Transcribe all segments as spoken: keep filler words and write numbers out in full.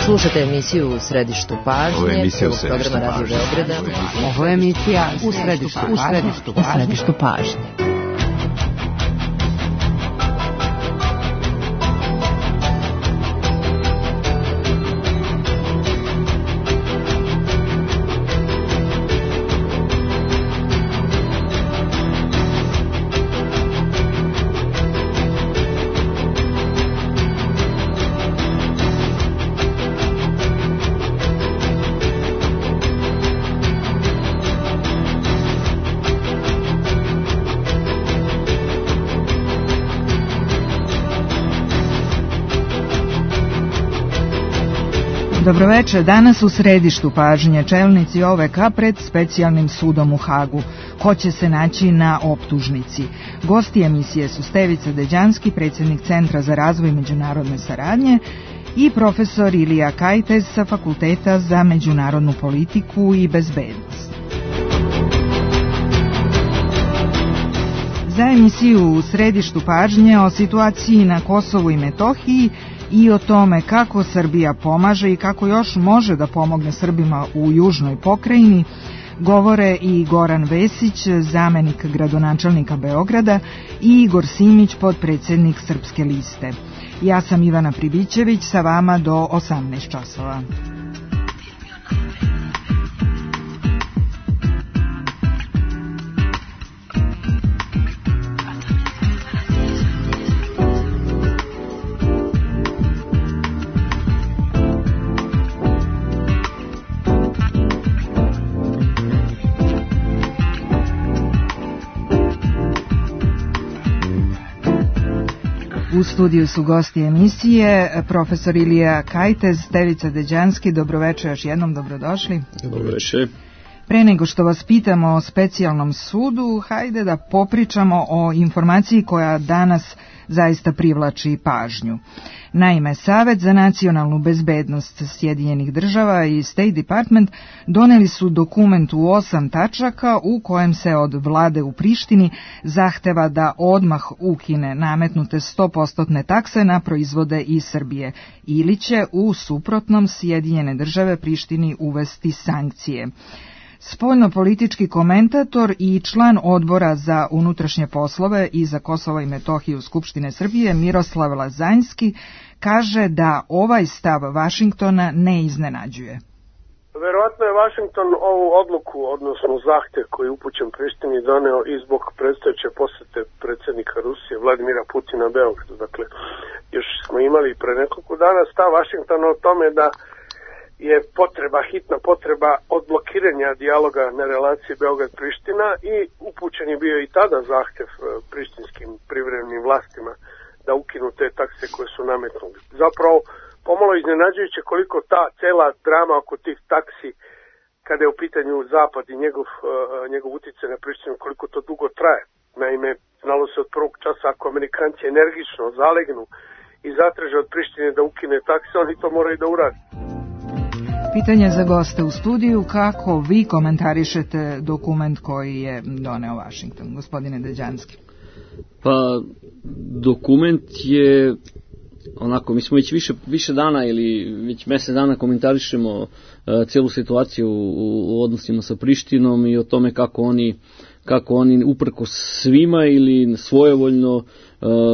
Slušate emisiju U središtu pažnje. Ovo je emisija U središtu pažnje. Radio Beograda. Ovo je emisija U središtu pažnje. U središtu pažnje. Dobroveče, danas u središtu pažnje čelnici O V K pred specijalnim sudom u Hagu. Ko će se naći na optužnici? Gosti emisije su Stevica Deđanski, predsjednik Centra za razvoj međunarodne saradnje, i profesor Ilija Kajtez sa Fakulteta za međunarodnu politiku i bezbednost. Za emisiju U središtu pažnje o situaciji na Kosovu i Metohiji i o tome kako Srbija pomaže i kako još može da pomogne Srbima u južnoj pokrajini govore i Goran Vesić, zamenik gradonačelnika Beograda, i Igor Simić, potpredsjednik Srpske liste. Ja sam Ivana Pribićević, sa vama do osamnaest časova. U studiju su gosti emisije profesor Ilija Kajtez, Stevica Deđanski. Dobroveče, još jednom dobrodošli. Dobroveče. Pre nego što vas pitamo o specijalnom sudu, hajde da popričamo o informaciji koja danas zaista privlači pažnju. Naime, Savet za nacionalnu bezbednost Sjedinjenih država i State Department doneli su dokument u osam tačaka u kojem se od vlade u Prištini zahteva da odmah ukine nametnute sto posto takse na proizvode iz Srbije ili će u suprotnom Sjedinjene države Prištini uvesti sankcije. Spoljnopolitički komentator i član odbora za unutrašnje poslove i za Kosovo i Metohiju Skupštine Srbije Miroslav Lazanjski kaže da ovaj stav Vašingtona ne iznenađuje. Verovatno je Vašington ovu odluku, odnosno zahtev koji je upućen Prištini, doneo i zbog predstojeće posete predsjednika Rusije Vladimira Putina Beogradu. Dakle, još smo imali pre nekoliko dana stav Vašingtona o tome da je potreba, hitna potreba odblokiranja dijaloga na relaciji Beograd-Priština, i upućen je bio i tada zahtjev prištinskim privremenim vlastima da ukinu te takse koje su nametnuli. Zapravo, pomalo iznenađujuće koliko ta cela drama oko tih taksi, kada je u pitanju Zapad i njegov, njegov utjecaj na Prištinu, koliko to dugo traje. Naime, znalo se od prvog časa, ako Amerikanci energično zalegnu i zatraže od Prištine da ukine takse, oni to moraju da urade. Pitanje za goste u studiju: kako vi komentarišete dokument koji je doneo Washington, gospodine Deđanski? Pa, dokument je onako, mi smo već više, više dana ili već mjesec dana komentarišemo uh, cijelu situaciju u, u odnosima sa Prištinom i o tome kako oni, kako oni uprkos svima ili svojevoljno uh,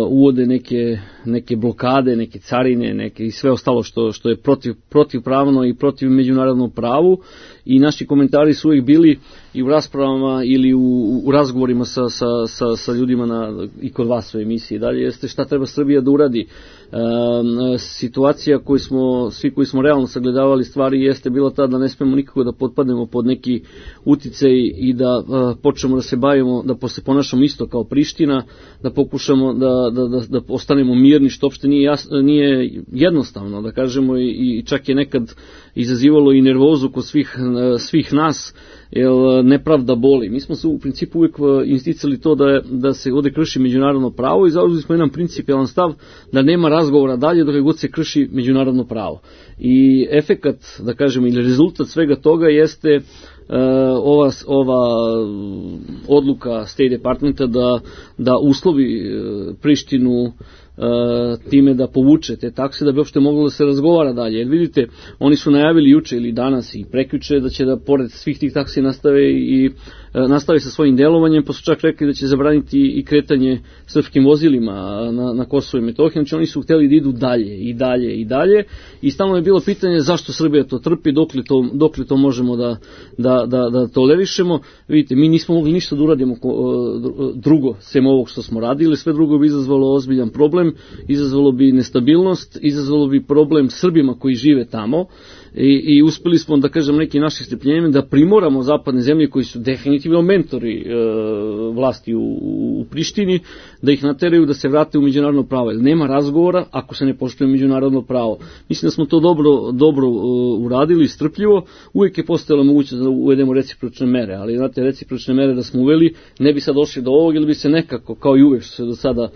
uvode neke, neke blokade, neke carine, neke i sve ostalo što, što je protiv, protivpravno i protiv međunarodnog pravu, i naši komentari su uvijek bili i u raspravama ili u, u razgovorima sa, sa, sa, sa ljudima na, i kod vas u emisiji. Dalje jeste šta treba Srbija da uradi. E, situacija koju smo, svi koji smo realno sagledavali stvari jeste bila ta da ne smemo nikako da potpadnemo pod neki uticaj i da e, počnemo da se bavimo, da se ponašamo isto kao Priština, da pokušamo da, da, da, da ostanemo mirni, što uopšte nije, jasno, nije jednostavno, da kažemo, i, i čak je nekad izazivalo i nervozu kod svih, svih nas, jer nepravda boli. Mi smo se u principu uvijek isticali to da, da se ovdje krši međunarodno pravo i zauzeli smo jedan principijalan stav da nema razgovora dalje dok god se krši međunarodno pravo. I efekat, da kažemo, ili rezultat svega toga jeste Uh, ova, ova odluka State Departmenta da, da uslovi uh, Prištinu time da povuče te takse da bi uopšte moglo da se razgovara dalje. Jer vidite, oni su najavili juče ili danas i prekjuče da će da pored svih tih taksi nastave i nastave sa svojim delovanjem, pa su čak rekli da će zabraniti i kretanje srpskim vozilima na, na Kosovo i Metohiju. Znači oni su hteli da idu dalje i dalje i dalje i stalno je bilo pitanje zašto Srbija to trpi, dok li to, dok li to možemo da, da, da, da tolerišemo. Vidite, mi nismo mogli ništa da uradimo drugo sem ovog što smo radili, sve drugo bi izazvalo ozbiljan problem, izazvalo bi nestabilnost, izazvalo bi problem Srbima koji žive tamo i, i uspeli smo, da kažem, neki naših strpljenjem da primoramo zapadne zemlje koji su definitivno mentori e, vlasti u, u Prištini, da ih nateraju da se vrate u međunarodno pravo. Jer nema razgovora ako se ne poštuje međunarodno pravo. Mislim da smo to dobro, dobro uh, uradili, strpljivo. Uvijek je postojala mogućnost da uvedemo recipročne mere, ali znate, recipročne mere da smo uveli, ne bi sad došli do ovog ili bi se nekako, kao i uvijek što se do sada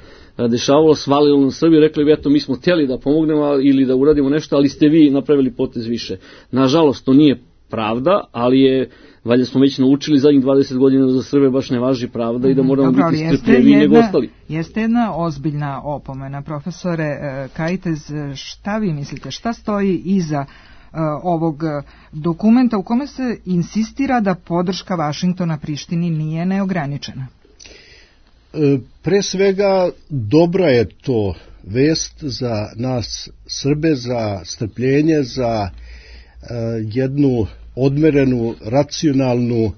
dešavalo, svalilo na Srbiju, rekli bi eto mi smo htjeli da pomognemo ili da uradimo nešto, ali ste vi napravili potez više. Nažalost, to nije pravda, ali je, valjda smo već naučili zadnjih dvadeset godina da za Srbe baš ne važi pravda i da moramo Dobro, biti strpljiviji nego ostali. Jeste jedna ozbiljna opomena. Profesore Kajtez, šta vi mislite, šta stoji iza uh, ovog dokumenta u kome se insistira da podrška Vašingtona Prištini nije neograničena? Pre svega, dobra je to vest za nas Srbe, za strpljenje, za jednu odmerenu, racionalnu,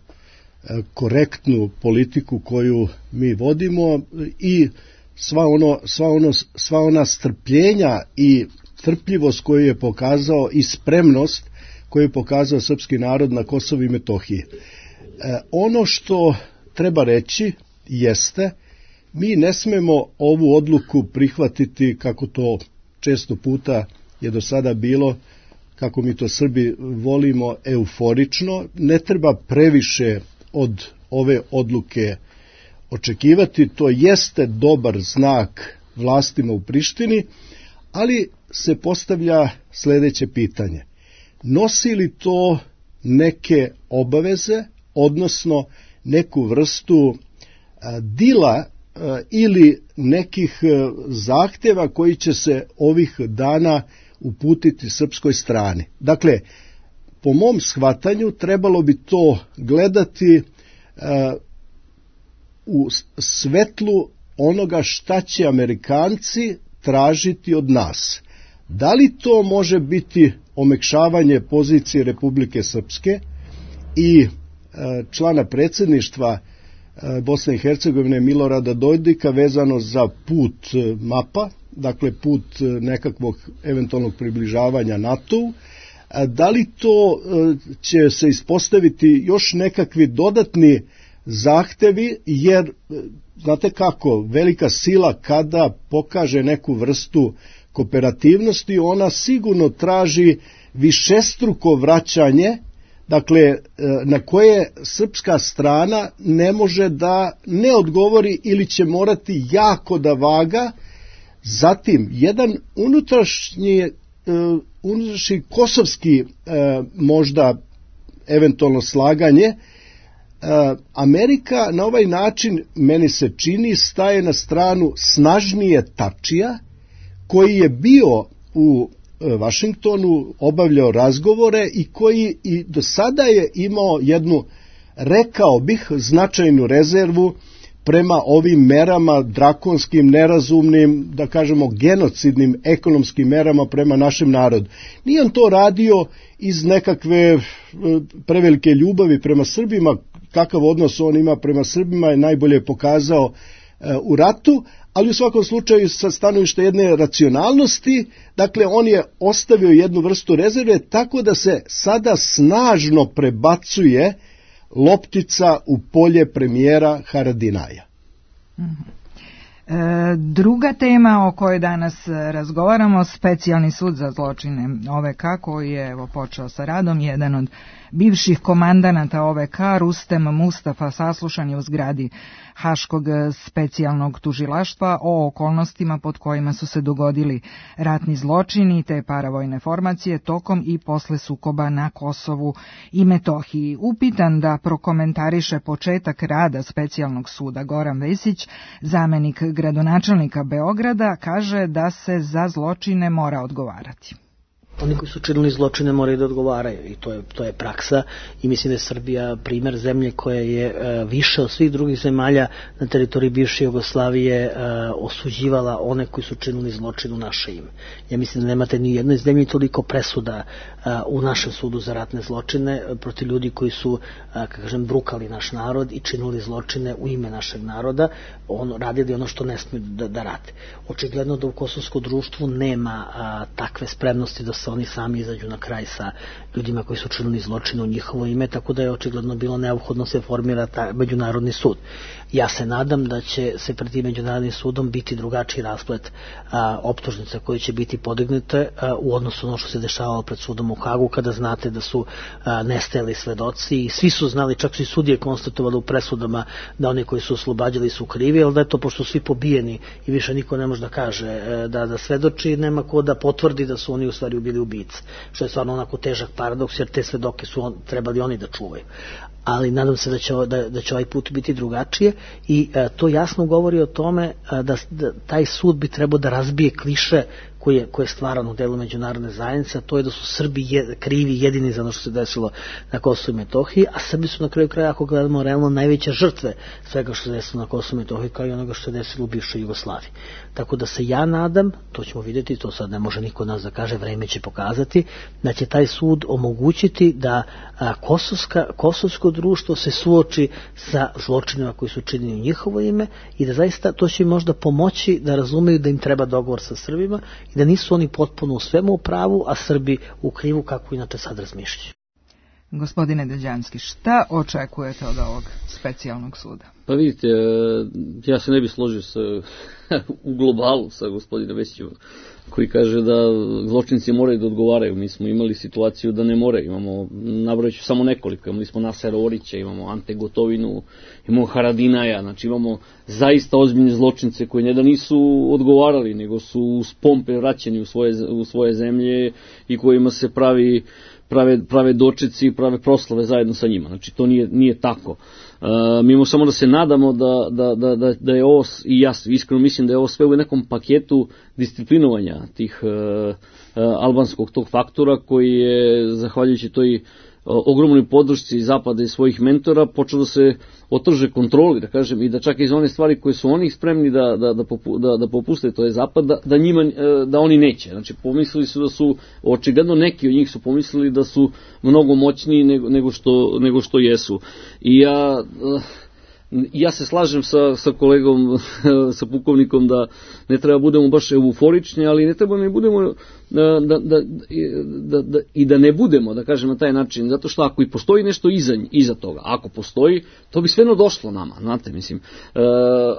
korektnu politiku koju mi vodimo i sva, ono, sva, ono, sva ona strpljenja i trpljivost koju je pokazao i spremnost koju je pokazao srpski narod na Kosovu i Metohiji. Ono što treba reći jeste, mi ne smemo ovu odluku prihvatiti kako to često puta je do sada bilo, kako mi to Srbi volimo, euforično. Ne treba previše od ove odluke očekivati, to jeste dobar znak vlastima u Prištini, ali se postavlja sljedeće pitanje. Nosi li to neke obaveze, odnosno neku vrstu a, dila a, ili nekih a, zahtjeva koji će se ovih dana uputiti srpskoj strani? Dakle, po mom shvatanju trebalo bi to gledati a, u svetlu onoga šta će Amerikanci tražiti od nas. Da li to može biti omekšavanje pozicije Republike Srpske i člana predsjedništva Bosne i Hercegovine Milorada Dodika vezano za put mapa, dakle put nekakvog eventualnog približavanja NATO-u, da li to će se ispostaviti još nekakvi dodatni zahtevi, jer znate kako, velika sila kada pokaže neku vrstu kooperativnosti, ona sigurno traži višestruko vraćanje, dakle, na koje srpska strana ne može da ne odgovori ili će morati jako da vaga. Zatim, jedan unutrašnji, unutrašnji kosovski možda eventualno slaganje, Amerika na ovaj način, meni se čini, staje na stranu snažnije Tačija, koji je bio u Vašingtonu, obavljao razgovore i koji i do sada je imao jednu, rekao bih, značajnu rezervu prema ovim merama drakonskim, nerazumnim, da kažemo genocidnim ekonomskim merama prema našem narodu. Nije on to radio iz nekakve prevelike ljubavi prema Srbima, kakav odnos on ima prema Srbima je najbolje pokazao u ratu, ali u svakom slučaju sa stanovišta jedne racionalnosti, dakle on je ostavio jednu vrstu rezerve tako da se sada snažno prebacuje loptica u polje premijera Haradinaja. Mm-hmm. E, druga tema o kojoj danas razgovaramo, specijalni sud za zločine O V K koji je evo počeo sa radom, jedan od bivših komandanata O V K, Rustem Mustafa, saslušan je u zgradi Haškog specijalnog tužilaštva o okolnostima pod kojima su se dogodili ratni zločini te paravojne formacije tokom i posle sukoba na Kosovu i Metohiji. Upitan da prokomentariše početak rada specijalnog suda, Goran Vesić, zamenik gradonačelnika Beograda, kaže da se za zločine mora odgovarati. Oni koji su činili zločine moraju da odgovaraju i to je, to je praksa i mislim da je Srbija primer zemlje koja je e, više od svih drugih zemalja na teritoriji bivše Jugoslavije e, osuđivala one koji su činili zločin u naše ime. Ja mislim da nemate ni jednoj zemlji toliko presuda e, u našem sudu za ratne zločine protiv ljudi koji su, e, kažem, brukali naš narod i činili zločine u ime našeg naroda, on, radili ono što ne smiju da, da rade. Očigledno da u kosovskom društvu nema a, takve spremnosti da se oni sami izađu na kraj sa ljudima koji su činili zločine u njihovo ime, tako da je očigledno bilo neophodno se formira ta međunarodni sud. Ja se nadam da će se pred tim međunarodnim sudom biti drugačiji rasplet a, optužnica koje će biti podignute a, u odnosu na ono što se dešavalo pred sudom u Hagu, kada znate da su a, nestajali svedoci i svi su znali, čak su i sudije konstatovali u presudama da oni koji su oslobađali su krivi, ali da je to pošto su svi pobijeni i više niko ne može da kaže a, da, da svedoči, nema ko da potvrdi da su oni u stvari bili ubice, što je stvarno onako težak paradoks, jer te svedoke su on, trebali oni da čuvaju. Ali nadam se da će, da, da će ovaj put biti drugačije i a, to jasno govori o tome a, da, da taj sud bi trebao da razbije kliše koje je, koje je stvarano u delu međunarodne zajednice, a to je da su Srbi je, krivi jedini za ono što se desilo na Kosovu i Metohiji, a Srbi su na kraju kraja, ako gledamo realno, najveće žrtve svega što se desilo na Kosovu i Metohiji, kao i onoga što se desilo u bivšoj Jugoslaviji. Tako da se ja nadam, to ćemo vidjeti, to sad ne može niko od nas da kaže, vreme će pokazati, da će taj sud omogućiti da a, kosovska, kosovsko društvo se suoči sa zločinima koji su činjeni u njihovo ime i da zaista to će im možda pomoći da razumeju da im treba dogovor sa Srbima i da nisu oni potpuno u svemu u pravu, a Srbi u krivu, kako inače sad razmišljaju. Gospodine Deđanski, šta očekujete od ovog specijalnog suda? Pa vidite, ja se ne bih složio sa, u globalu sa gospodinom Vesićem, koji kaže da zločinci moraju da odgovaraju. Mi smo imali situaciju da ne moraju. Imamo, nabrojat ću samo nekoliko, imali smo Nasera Orića, imamo Ante Gotovinu, imamo Haradinaja, znači imamo zaista ozbiljne zločince koji ne da nisu odgovarali, nego su uz pompe vraćeni u svoje, u svoje zemlje i kojima se pravi prave, prave dočeci, prave proslave zajedno sa njima. Znači to nije, nije tako. Uh, mi imamo samo da se nadamo da, da, da, da, da je ovo, i ja iskreno mislim da je ovo sve u nekom paketu disciplinovanja tih uh, uh, albanskog tog faktora koji je, zahvaljujući toj uh, ogromnoj podršci Zapada i svojih mentora, počeo da se otrže kontroli, da kažem, i da čak iz one stvari koje su oni spremni da, da, da, popu, da, da popuste, to je Zapad, da, da, njima, da oni neće. Znači, pomislili su da su, očigledno neki od njih su pomislili da su mnogo moćniji nego, nego, što, nego što jesu. I ja... Uh, Ja se slažem sa, sa kolegom, sa pukovnikom da ne treba budemo baš euforični, ali ne treba ne budemo da, da, da, da, da, i da ne budemo, da kažem na taj način, zato što ako i postoji nešto iza, iza toga, ako postoji, to bi svejedno došlo nama, znate, mislim. E,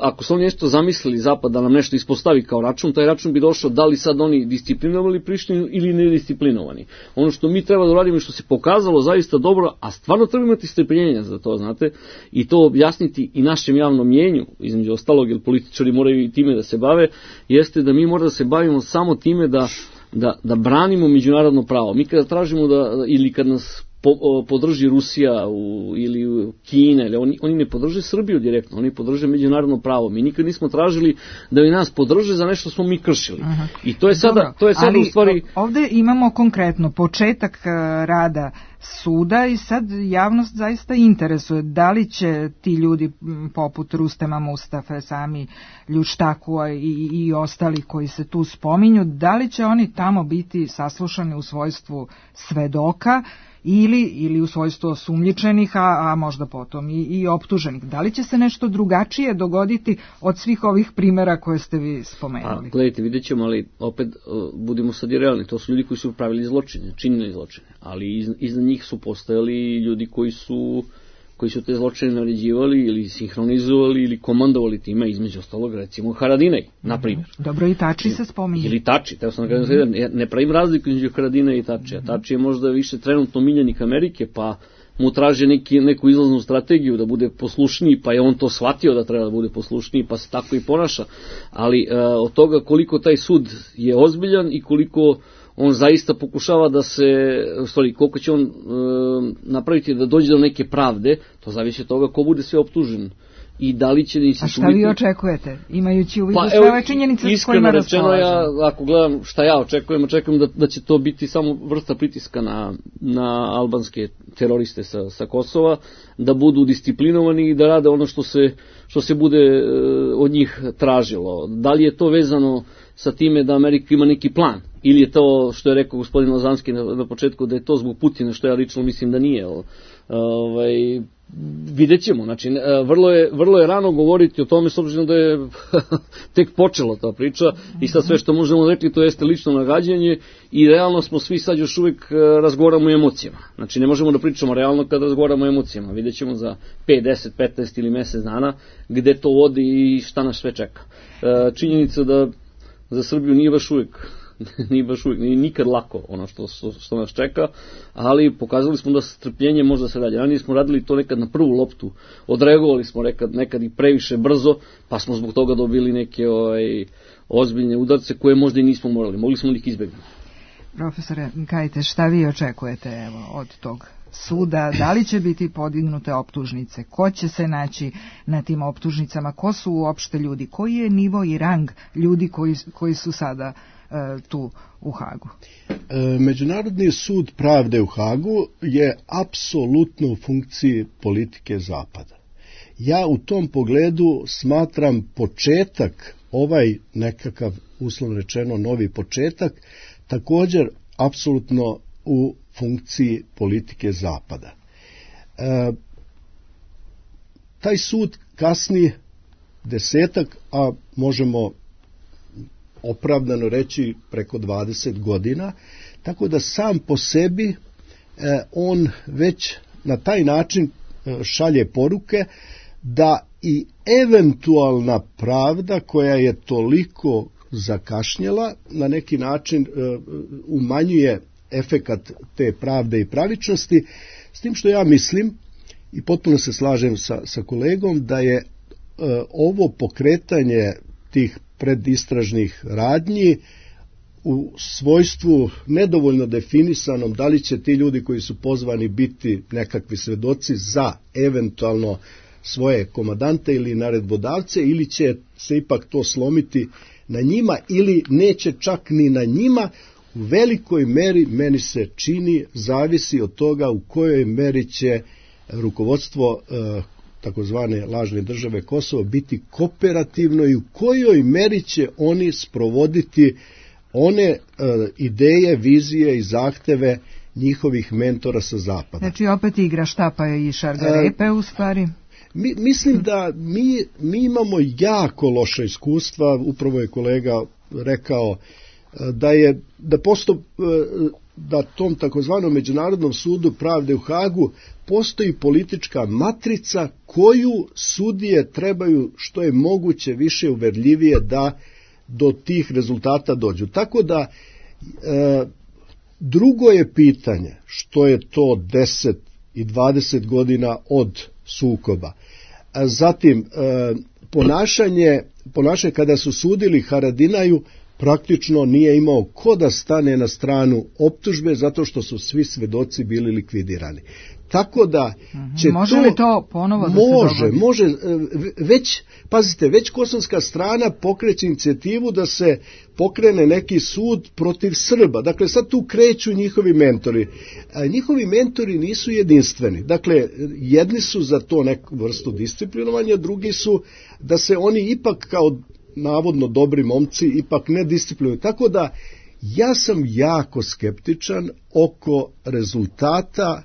ako su oni nešto zamislili, Zapad da nam nešto ispostavi kao račun, taj račun bi došao da li sad oni disciplinovali Prištinu ili nedisciplinovani. Ono što mi treba da uradimo i što se pokazalo zaista dobro, a stvarno treba imati strpljenja za to, znate, i to objasniti i našem javnom mjenju, između ostalog, jer političari moraju i time da se bave, jeste da mi moramo da se bavimo samo time da, da, da branimo međunarodno pravo. Mi kada tražimo da, ili kad nas po, o, podrži Rusija u, ili Kina, ili oni, oni ne podrže Srbiju direktno, oni podrže međunarodno pravo. Mi nikad nismo tražili da bi nas podrže za nešto što smo mi kršili. Aha. I to je sada, Dobro, to je sada ali, u stvari... Ovde imamo konkretno početak rada suda i sad javnost zaista interesuje da li će ti ljudi poput Rustema Mustafe, sami Ljuštakua i, i ostali koji se tu spominju, da li će oni tamo biti saslušani u svojstvu svedoka ili, ili u svojstvu osumnjičenih, a, a možda potom i, i optuženih. Da li će se nešto drugačije dogoditi od svih ovih primjera koje ste vi spomenuli? A, gledajte, vidjet ćemo, ali opet uh, budimo sad i realni. To su ljudi koji su pravili zločine, činili zločine, ali iz, iznad njih su postojali ljudi koji su koji su te zločine naređivali ili sinhronizovali ili komandovali time, između ostalog recimo Haradinaj, na primjer. Dobro, i Tači se spominje. Ili Tači, teo sam da kažem, mm-hmm. ne pravim razliku između Haradinaja i Tači, a Tači je možda više trenutno miljenik Amerike, pa mu traže neki, neku izlaznu strategiju da bude poslušniji, pa je on to shvatio da treba da bude poslušniji, pa se tako i ponaša. Ali e, od toga koliko taj sud je ozbiljan i koliko on zaista pokušava da se, stvari, koliko će on e, napraviti da dođe do neke pravde, to zavisi od toga ko bude sve optužen. I da li će A šta vi očekujete, imajući u vidu pa, sve ove činjenice s kojima raspolažemo? Ja, ako gledam šta ja očekujem, očekujem da, da će to biti samo vrsta pritiska na, na albanske teroriste sa, sa Kosova, da budu disciplinovani i da rade ono što se, što se bude e, od njih tražilo. Da li je to vezano sa time da Amerika ima neki plan? Ili je to, što je rekao gospodin Lazanski na, na početku, da je to zbog Putina, što ja lično mislim da nije. Ovaj, vidjet ćemo, znači vrlo je, vrlo je rano govoriti o tome s obzirom da je tek počela ta priča i sad sve što možemo reći to jeste lično nagađanje i realno smo svi sad još uvijek razgovaramo o emocijama, znači ne možemo da pričamo realno kad razgovaramo o emocijama, vidjet ćemo za pet, deset, petnaest ili mjesec dana gde to vodi i šta nas sve čeka. Činjenica da za Srbiju nije baš uvijek nije baš uvijek, nije nikad lako ono što, što, što nas čeka, ali pokazali smo da strpljenje može da se radi. Ranije smo radili to nekad na prvu loptu, odreagovali smo nekad, nekad i previše brzo, pa smo zbog toga dobili neke ovaj, ozbiljne udarce koje možda i nismo morali, mogli smo ih izbjegnuti. Profesore, kajte, šta vi očekujete evo, od tog suda, da li će biti podignute optužnice, ko će se naći na tim optužnicama, ko su uopšte ljudi, koji je nivo i rang ljudi koji, koji su sada e, tu u Hagu? E, Međunarodni sud pravde u Hagu je apsolutno u funkciji politike Zapada. Ja u tom pogledu smatram početak, ovaj nekakav uslovno rečeno novi početak, također apsolutno u funkciji politike Zapada. E, taj sud kasni desetak, a možemo opravdano reći preko dvadeset godina, tako da sam po sebi e, on već na taj način e, šalje poruke da i eventualna pravda koja je toliko zakašnjela na neki način e, umanjuje efekat te pravde i pravičnosti, s tim što ja mislim i potpuno se slažem sa, sa kolegom da je e, ovo pokretanje tih predistražnih radnji u svojstvu nedovoljno definisanom, da li će ti ljudi koji su pozvani biti nekakvi svedoci za eventualno svoje komandante ili naredbodavce, ili će se ipak to slomiti na njima ili neće čak ni na njima, u velikoj meri, meni se čini, zavisi od toga u kojoj meri će rukovodstvo e, takozvane lažne države Kosovo biti kooperativno i u kojoj meri će oni sprovoditi one e, ideje, vizije i zahteve njihovih mentora sa zapada. Znači opet igra štapa i šargarepe e, u stvari? Mi, mislim da mi, mi imamo jako loša iskustva, upravo je kolega rekao da je da posto, da tom takozvanom Međunarodnom sudu pravde u Hagu postoji politička matrica koju sudije trebaju što je moguće više uverljivije da do tih rezultata dođu. Tako da e, drugo je pitanje što je to deset i dvadeset godina od sukoba. A zatim e, ponašanje, ponašanje kada su sudili Haradinaju praktično nije imao ko da stane na stranu optužbe zato što su svi svedoci bili likvidirani. Tako da će može to, li to ponovo da može, se dogodi? Može, već, pazite, već kosovska strana pokreće inicijativu da se pokrene neki sud protiv Srba. Dakle, sad tu kreću njihovi mentori. A njihovi mentori nisu jedinstveni. Dakle, jedni su za to neku vrstu disciplinovanja, drugi su da se oni ipak kao navodno dobri momci ipak ne disciplinuju. Tako da ja sam jako skeptičan oko rezultata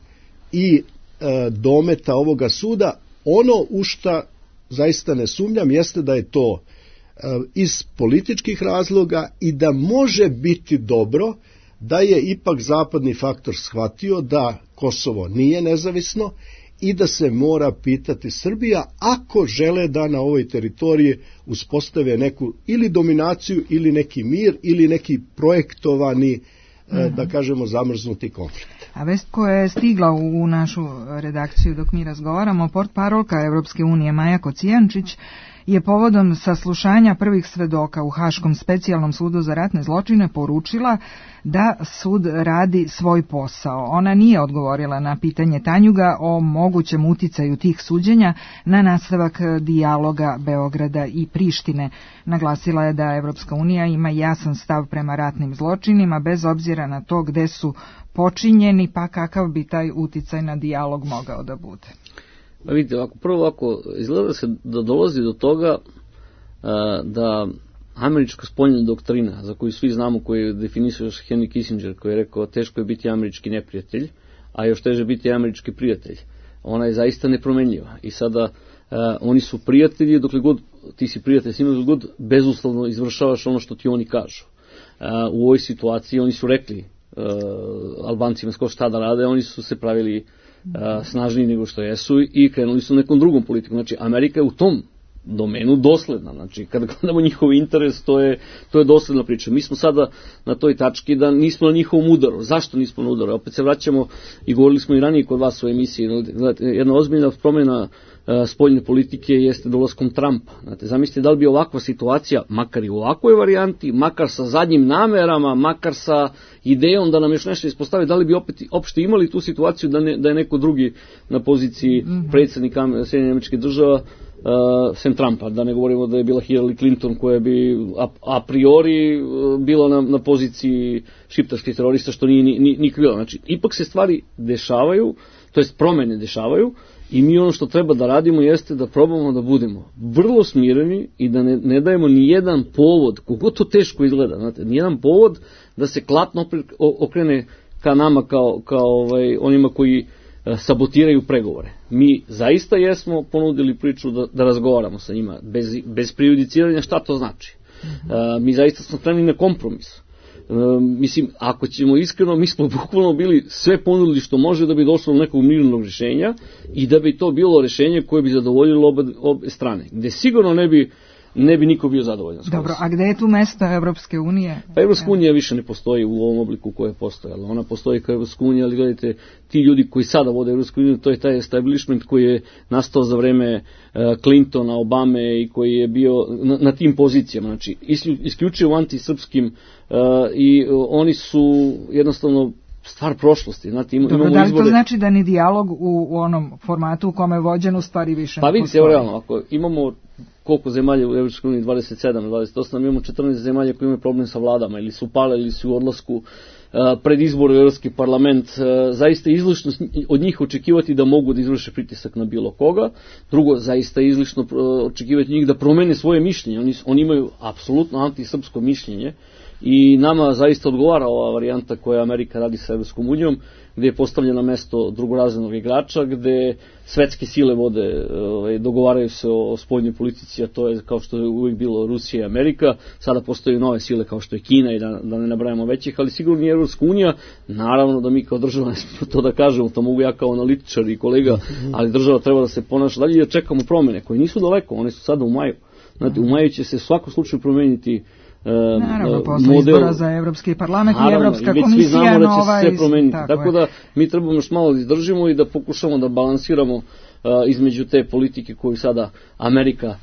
i e, dometa ovoga suda. Ono u šta zaista ne sumnjam jeste da je to e, iz političkih razloga i da može biti dobro da je ipak zapadni faktor shvatio da Kosovo nije nezavisno i da se mora pitati Srbija ako žele da na ovoj teritoriji uspostave neku ili dominaciju ili neki mir ili neki projektovani, mm-hmm. da kažemo, zamrznuti konflikt. A vest koja je stigla u našu redakciju dok mi razgovaramo, portparolka Evropske unije Maja Kocijančić je povodom saslušanja prvih svedoka u Haškom specijalnom sudu za ratne zločine poručila da sud radi svoj posao. Ona nije odgovorila na pitanje Tanjuga o mogućem uticaju tih suđenja na nastavak dijaloga Beograda i Prištine. Naglasila je da Evropska unija ima jasan stav prema ratnim zločinima bez obzira na to gde su počinjeni, pa kakav bi taj uticaj na dijalog mogao da bude. Pa vidite, ovako, prvo ako izgleda se da dolazi do toga a, da američka spoljna doktrina, za koju svi znamo, koju je definisao još Henry Kissinger, koji je rekao teško je biti američki neprijatelj, a još teže biti američki prijatelj, ona je zaista nepromenljiva. I sada a, oni su prijatelji, dokle god ti si prijatelj s njima, dokle god bezuslovno izvršavaš ono što ti oni kažu. A, u ovoj situaciji oni su rekli a, Albancima skoro šta da rade, oni su se pravili snažniji nego što jesu i krenuli su nekom drugom politikom. Znači, Amerika je u tom domenu dosledna. Znači, kada gledamo njihov interes, to je, to je dosledna priča. Mi smo sada na toj tački da nismo na njihovom udaru. Zašto nismo na udaru? Opet se vraćamo i govorili smo i ranije kod vas u emisiji. Znate, jedna ozbiljna promjena uh, spoljne politike jeste dolaskom Trumpa. Znate, zamislite da li bi ovakva situacija, makar i u ovakvoj varijanti, makar sa zadnjim namerama, makar sa idejom da nam još nešto ispostavi, da li bi opet opšte imali tu situaciju da, ne, da je neko drugi na poziciji mm-hmm. predsjednika Sjedinjenih Američkih Država, Uh, sem Trumpa, da ne govorimo da je bila Hillary Clinton koja bi a, a priori uh, bila na, na poziciji šiptarskih terorista, što nije ni, ni, nikad bilo. Znači, ipak se stvari dešavaju, to jest promene dešavaju i mi ono što treba da radimo jeste da probamo da budemo vrlo smireni i da ne, ne dajemo ni jedan povod, koliko to teško izgleda, znate, ni jedan povod da se klatno okrene ka nama kao, kao ovaj, onima koji sabotiraju pregovore. Mi zaista jesmo ponudili priču da, da razgovaramo sa njima, bez, bez prejudiciranja šta to znači. Mm-hmm. Uh, mi zaista smo spremni na kompromis. Uh, mislim, ako ćemo iskreno, mi smo bukvalno bili sve ponudili što može da bi došlo do nekog mirnog rješenja i da bi to bilo rješenje koje bi zadovoljilo obe, obe strane. Gde sigurno ne bi ne bi niko bio zadovoljan. Dobro, a gde je tu mesto Evropske unije? Pa Evropska unija više ne postoji u ovom obliku koje je postojala. Ona postoji kao Evropska unija, ali gledajte, ti ljudi koji sada vode Evropsku uniju, to je taj establishment koji je nastao za vreme uh, Clintona, Obame i koji je bio na, na tim pozicijama. Znači, isključivo antisrpskim uh, i uh, oni su jednostavno stvar prošlosti. Znate, ima, Dobro, imamo da li izbore. To znači da ni dijalog u, u onom formatu u kome je vođen u stvari više pa ne vidite, evo realno, ako imamo koliko zemalja u Evropskoj uniji, dvadeset sedam, dvadeset osam, imamo četrnaest zemalja koji imaju problem sa vladama, ili su pale, ili su u odlasku uh, pred izbor u Evropski parlament, uh, zaista je izlišno od njih očekivati da mogu da izvrše pritisak na bilo koga. Drugo, zaista je izlišno uh, očekivati njih da promene svoje mišljenje. Oni, oni imaju apsolutno antisrpsko mišljenje i nama zaista odgovara ova varijanta koja Amerika radi sa Evropskom unijom, gde je postavljeno mesto drugorazrednog igrača, gde svetske sile vode, ovaj, dogovaraju se o, o spoljnoj politici, a to je kao što je uvijek bilo Rusija i Amerika. Sada postoje nove sile kao što je Kina i da, da ne nabrajamo većih, ali sigurno i Evropska unija. Naravno da mi kao država ne smijemo to da kažemo, to mogu ja kao analitičar i kolega, ali država treba da se ponaša dalje i da čekamo promene koje nisu daleko, one su sada u maju. Znate, u maju će se u svakom slučaju promeniti Naravno, posle izbora za Evropski parlament i Evropska komisija. Svi znamo da će nova se sve promeniti. Tako, tako da mi trebamo još malo da izdržimo i da pokušamo da balansiramo uh, između te politike koju sada Amerika uh,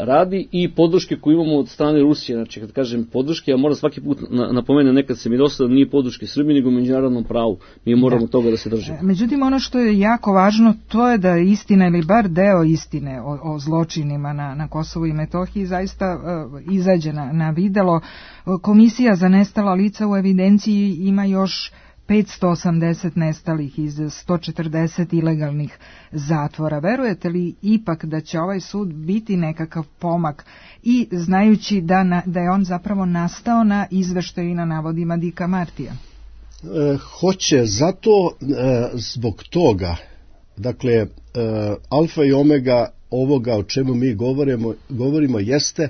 radi i podrške koju imamo od strane Rusije. Znači, kad kažem podrške, ja moram svaki put na, napomenem, nekad se mi dosta da nije podrške Srbiji, nego međunarodnom pravu. Mi moramo da. toga da se držimo. Međutim, ono što je jako važno, to je da istina ili bar deo istine o, o zločinima na, na Kosovu i Metohiji zaista uh, izađe na, na videlo. Komisija za nestala lica u evidenciji ima još petsto osamdeset nestalih iz sto četrdeset ilegalnih zatvora. Verujete li ipak da će ovaj sud biti nekakav pomak i znajući da, na, da je on zapravo nastao na izveštaju i na navodima Dika Martija? E, hoće, zato e, zbog toga, dakle, e, alfa i omega ovoga o čemu mi govorimo, govorimo jeste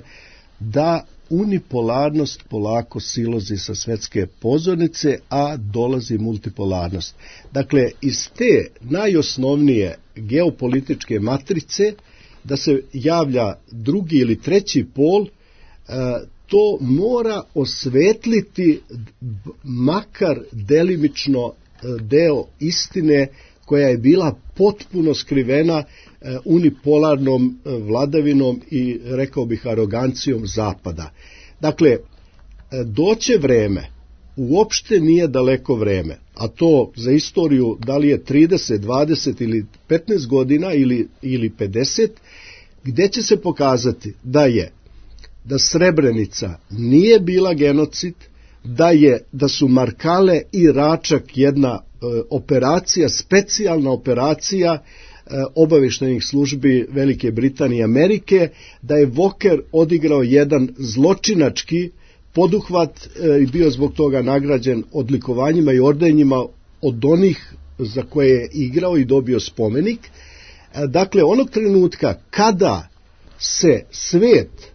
da unipolarnost polako silozi sa svetske pozornice, a dolazi multipolarnost. Dakle, iz te najosnovnije geopolitičke matrice da se javlja drugi ili treći pol, to mora osvetliti makar delimično deo istine koja je bila potpuno skrivena unipolarnom vladavinom i, rekao bih, arogancijom Zapada. Dakle, doće vreme, uopšte nije daleko vreme, a to za istoriju da li je trideset, dvadeset ili petnaest godina ili, ili pedeset, gde će se pokazati da je da Srebrenica nije bila genocid, da je da su Markale i Račak jedna e, operacija, specijalna operacija e, obaveštajnih službi Velike Britanije i Amerike, da je Walker odigrao jedan zločinački poduhvat e, i bio zbog toga nagrađen odlikovanjima i ordenjima od onih za koje je igrao i dobio spomenik. E, dakle, onog trenutka kada se svet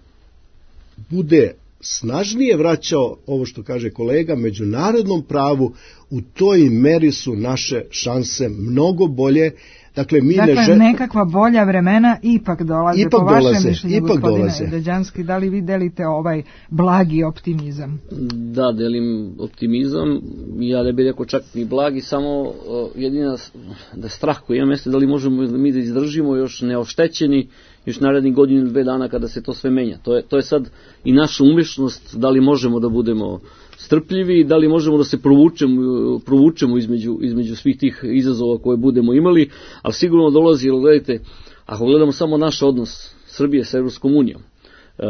bude snažnije vraćao, ovo što kaže kolega, međunarodnom pravu, u toj meri su naše šanse mnogo bolje. Dakle, mi dakle ne žel... nekakva bolja vremena ipak dolaze, ipak po vašem dolaze, mišljenju, ipak gospodine dolaze. Deđanski, da li vi delite ovaj blagi optimizam? Da, delim optimizam, ja ne bih rekao čak ni blagi, samo uh, jedina da strah koji imam jeste da li možemo mi da izdržimo još neoštećeni još narednih godinu ili dve dana kada se to sve menja. To je, to je sad i naša umešnost, da li možemo da budemo strpljivi, da li možemo da se provučemo, provučemo između, između svih tih izazova koje budemo imali, ali sigurno dolazi, jer gledajte, ako gledamo samo naš odnos Srbije sa Evropskom unijom, E,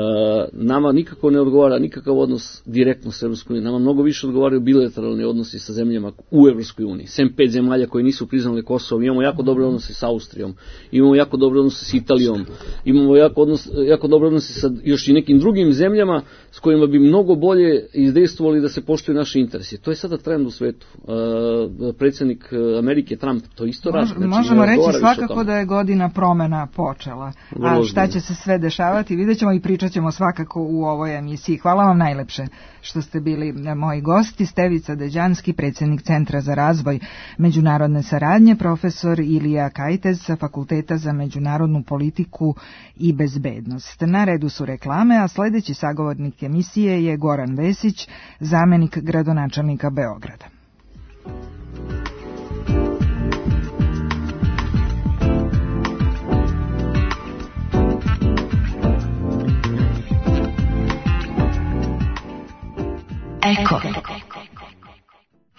nama nikako ne odgovara nikakav odnos direktno sa Evropskom unijom, nama mnogo više odgovaraju bilateralni odnosi sa zemljama u Evropskoj uniji, sem pet zemalja koje nisu priznale Kosovo. Imamo jako dobre odnose sa Austrijom, imamo jako dobre odnose sa Italijom, imamo jako, odnos, jako dobre odnose sa još i nekim drugim zemljama s kojima bi mnogo bolje izdejstvovali da se poštuju naši interesi. To je sada trend u svetu. E, predsjednik Amerike Trump to isto radi. Znači, možemo reći svakako da je godina promena počela. A šta će se sve dešavati, vidjet ćemo i pričat ćemo svakako u ovoj emisiji. Hvala vam najlepše što ste bili moji gosti. Stevica Deđanski, predsjednik Centra za razvoj međunarodne saradnje, profesor Ilija Kajtez sa Fakulteta za međunarodnu politiku i bezbednost. Na redu su reklame, a sljedeći sagovornik emisije je Goran Vesić, zamenik gradonačelnika Beograda. Eko.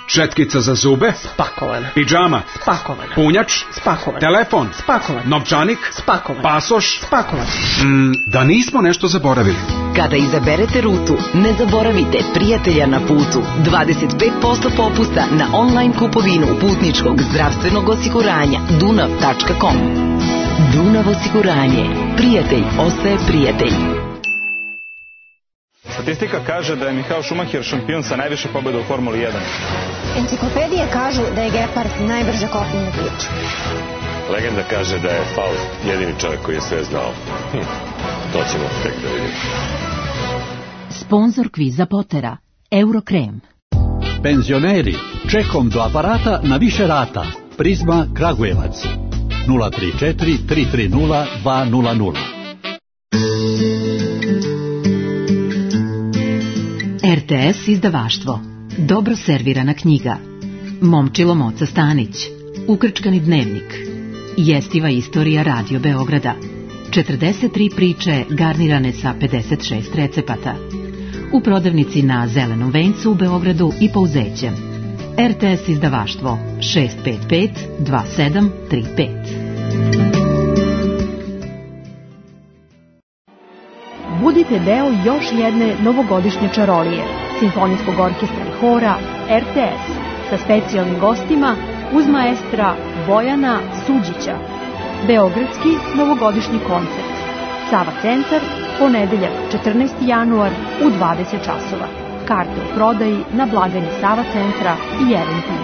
Četkica za zube? Spakovana. Pidžama? Spakovana. Punjač? Spakovan. Telefon? Spakovan. Novčanik? Spakovan. Pasoš? Spakovan. Mm, da nismo nešto zaboravili. Kada izaberete rutu, ne zaboravite prijatelja na putu. dvadeset pet posto popusta na online kupovinu putničkog zdravstvenog osiguranja dunav tačka com. Dunav osiguranje. Prijatelj ostaje prijatelj. Statistika kaže da je Michael Schumacher šampion sa najviše pobjeda u Formuli jedan. Enciklopedije kažu da je Gepard najbrže kopnena priča. Legenda kaže da je Faust jedini čovjek koji je sve znao. Hm, to ćemo tek da vidimo. Sponzor kviza Potera, Eurokrem. Penzioneri, čekom do aparata na više rata. Prizma Kragujevac. nula tri četiri tri tri nula dva nula nula. R T S izdavaštvo. Dobro servirana knjiga. Momčilo Moca Stanić. Ukrčkani dnevnik. Jestiva istorija Radio Beograda. četrdeset tri priče garnirane sa pedeset šest recepata. U prodavnici na Zelenom vencu u Beogradu i Pouzećem. R T S izdavaštvo šest pet pet dva sedam tri pet. Budite deo još jedne novogodišnje čarolije, simfonijskog orkestra i hora R T S sa specijalnim gostima uz maestra Bojana Suđića. Beogradski novogodišnji koncert. Sava centar, ponedeljak četrnaesti januar u dvadeset časova. Karte u prodaji na blagajni Sava centra i Eventim.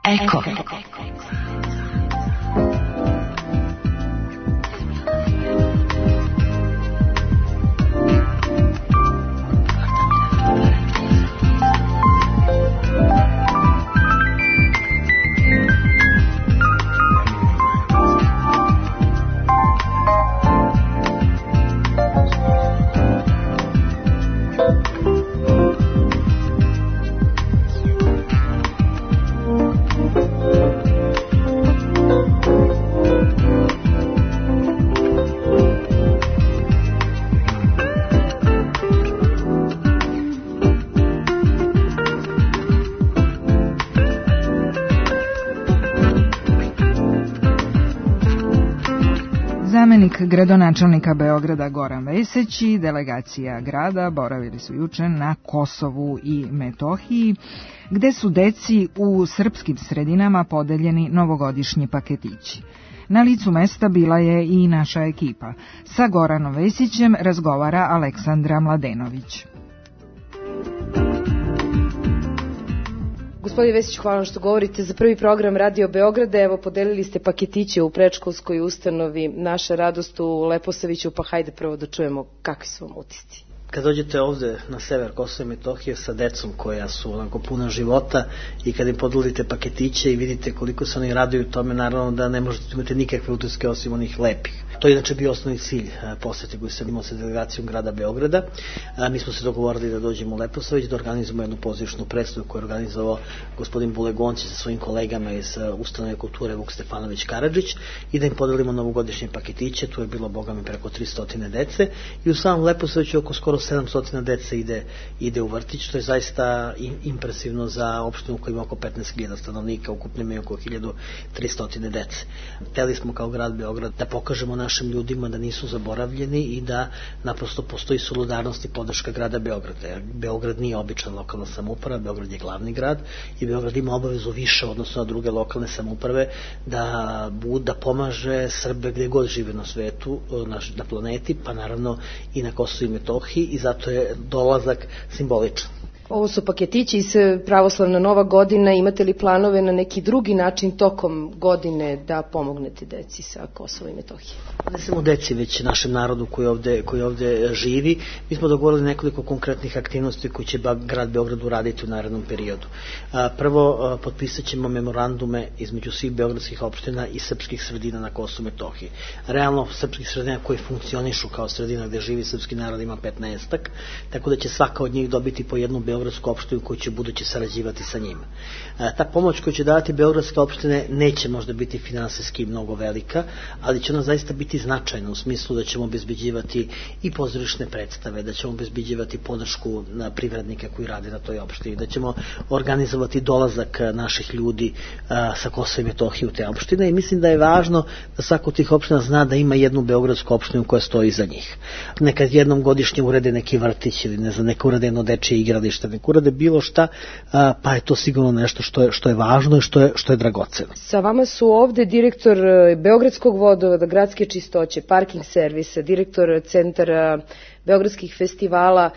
Eko. Zamenik gradonačelnika Beograda Goran Vesić i delegacija grada boravili su juče na Kosovu i Metohiji, gde su deci u srpskim sredinama podeljeni novogodišnji paketići. Na licu mesta bila je i naša ekipa. Sa Goranom Vesićem razgovara Aleksandra Mladenović. Gospodine Vesić, hvala što govorite za prvi program Radio Beograda. Evo, podelili ste paketiće u predškolskoj ustanovi Naša radost u Leposaviću, pa hajde prvo da čujemo kakvi su vam utisci. Kad dođete ovde na sever Kosova i Metohije sa decom koja su onako puna života i kad im podelite paketiće i vidite koliko se oni raduju tome, naravno da ne možete imati nikakve utiske osim onih lepih. To je inače bio osnovni cilj posete koji sam imao sa delegacijom grada Beograda. Mi smo se dogovorili da dođemo u Leposavić, da organizujemo jednu pozorišnu predstavu koju je organizovao gospodin Bulegonci sa svojim kolegama iz ustanove kulture Vuk Stefanović Karadžić i da im podelimo novogodišnje paketiće. Tu je bilo, boga mi, preko tristo dece i u samom Leposaviću oko skoro sedamsto dece ide, ide u vrtić, što je zaista impresivno za opštinu koja ima oko petnaest hiljada stanovnika, ukupno imaju oko hiljadu tristo dece. Hteli smo kao grad Beograd da pokažemo našim ljudima da nisu zaboravljeni i da naprosto postoji solidarnost i podrška grada Beograda. Beograd nije obična lokalna samouprava, Beograd je glavni grad i Beograd ima obavezu više odnosno na druge lokalne samouprave da, da pomaže Srbe gde god žive na svetu, na, na planeti, pa naravno i na Kosovu i Metohiji, i zato je dolazak simboličan. Ovo su paketići iz pravoslavna Nova godina. Imate li planove na neki drugi način tokom godine da pomognete deci sa Kosova i Metohije? Ne samo deci, već našem narodu koji ovde, koji ovde živi. Mi smo dogovorili nekoliko konkretnih aktivnosti koje će grad Beograd uraditi u narednom periodu. Prvo, potpisat ćemo memorandume između svih beogradskih opština i srpskih sredina na Kosovu i Metohiji. Realno, srpskih sredina koji funkcionišu kao sredina gde živi srpski narod ima petnaestak, tako da će svaka od njih dobiti po jednu beogradsku opštinu koju će budući sarađivati sa njima. Ta pomoć koju će davati beogradske opštine neće možda biti finansijski mnogo velika, ali će ona zaista biti značajna u smislu da ćemo obezbeđivati i pozorišne predstave, da ćemo obezbeđivati podršku na privrednike koji rade na toj opštini, da ćemo organizovati dolazak naših ljudi a, sa Kosova i Metohije u te opštine, i mislim da je važno da svako od tih opština zna da ima jednu beogradsku opštinu koja stoji iza njih. Nekad jednom godišnje urede neki vrtić ili ne znam, neka urede jedno dečije igralište, neka urade bilo šta, a, pa je to sigurno nešto što je, što je važno i što je, što je dragoceno. Sa vama su ovde direktor Beogradskog vodovoda, gradske čistoće, parking servisa, direktor centara beogradskih festivala.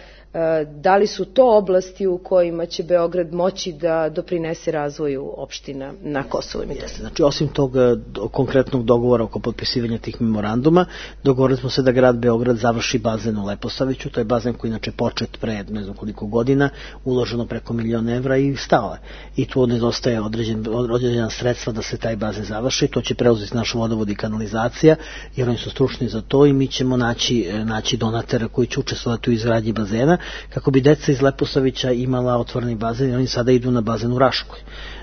Da li su to oblasti u kojima će Beograd moći da doprinese razvoju opština na Kosovu i Metohiji? Znači, osim tog do, konkretnog dogovora oko potpisivanja tih memoranduma, dogovorili smo se da grad Beograd završi bazen u Leposaviću. To je bazen koji inače počet pre ne znam koliko godina, uloženo preko milion evra i stao je. I tu nedostaje određen, određena sredstva da se taj bazen završi. To će preuzeti naš vodovod i kanalizacija, jer oni su stručni za to, i mi ćemo naći, naći donatera koji će učestvovati u izgradnji bazena, kako bi deca iz Leposavića imala otvoreni bazen, i oni sada idu na bazen u Raškoj.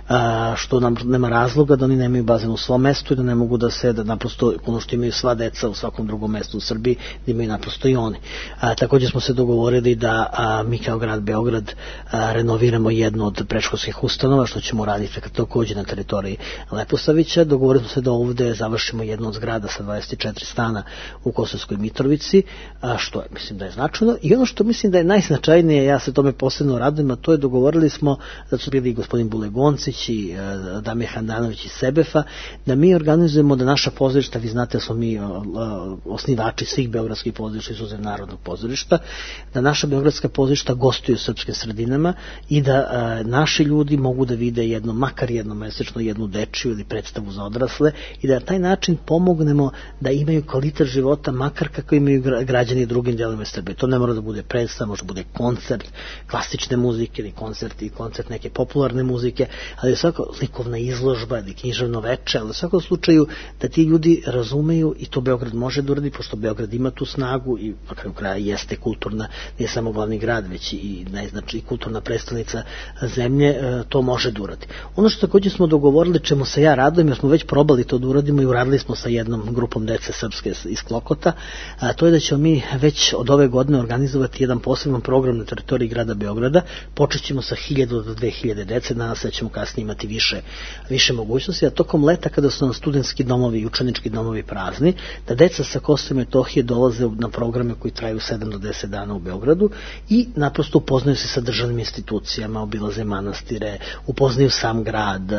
A, što nam nema razloga da oni nemaju bazen u svom mestu i da ne mogu da se, da naprosto ono što imaju sva deca u svakom drugom mestu u Srbiji, da imaju naprosto i oni. A, također smo se dogovorili da a, mi kao grad Beograd a, renoviramo jednu od predškolskih ustanova, što ćemo raditi također na teritoriji Leposavića. Dogovorili smo se da ovde završimo jednu od zgrada sa dvadeset četiri stana u Kosovskoj Mitrovici, a, što je, mislim da je značajno. I ono što mislim da je najznačajnije, ja se tome posebno radujem, a to je dogovorili smo da su bili gospodin Bulegoncić i uh, Damir Handanović iz Sebefa, da mi organizujemo da naša pozorišta, vi znate da smo mi uh, osnivači svih beogradskih pozorišta, izuzev Narodnog pozorišta, da naša beogradska pozorišta gostuju u srpskim sredinama i da uh, naši ljudi mogu da vide jedno, makar jedno mesečno, jednu dečiju ili predstavu za odrasle, i da na taj način pomognemo da imaju kvalitet života, makar kako imaju građani drugim delovima Srbije. To ne mora da bude predstava, može da bude koncert klasične muzike ili koncert i koncert neke popularne muzike, ali svako likovna izložba ili književno veče, ali u svakom slučaju da ti ljudi razumeju, i to Beograd može da uradi, pošto Beograd ima tu snagu i na kraju kraja jeste kulturna, nije samo glavni grad, već i, znači, i kulturna predstavnica zemlje, to može da uradi. Ono što također smo dogovorili, čemu se ja radujem, jer smo već probali to da uradimo i uradili smo sa jednom grupom dece srpske iz Klokota, a to je da ćemo mi već od ove godine organizovati jedan poseban program na teritoriji grada Beograda. Počet ćemo sa hiljadu do dve hiljade dece, danas ćemo kasnije kasnije imati više, više mogućnosti, a tokom leta kada su nam studentski domovi i učenički domovi prazni, da deca sa Kosova i Metohije dolaze na programe koji traju sedam do deset dana u Beogradu i naprosto upoznaju se sa državnim institucijama, obilaze manastire, upoznaju sam grad,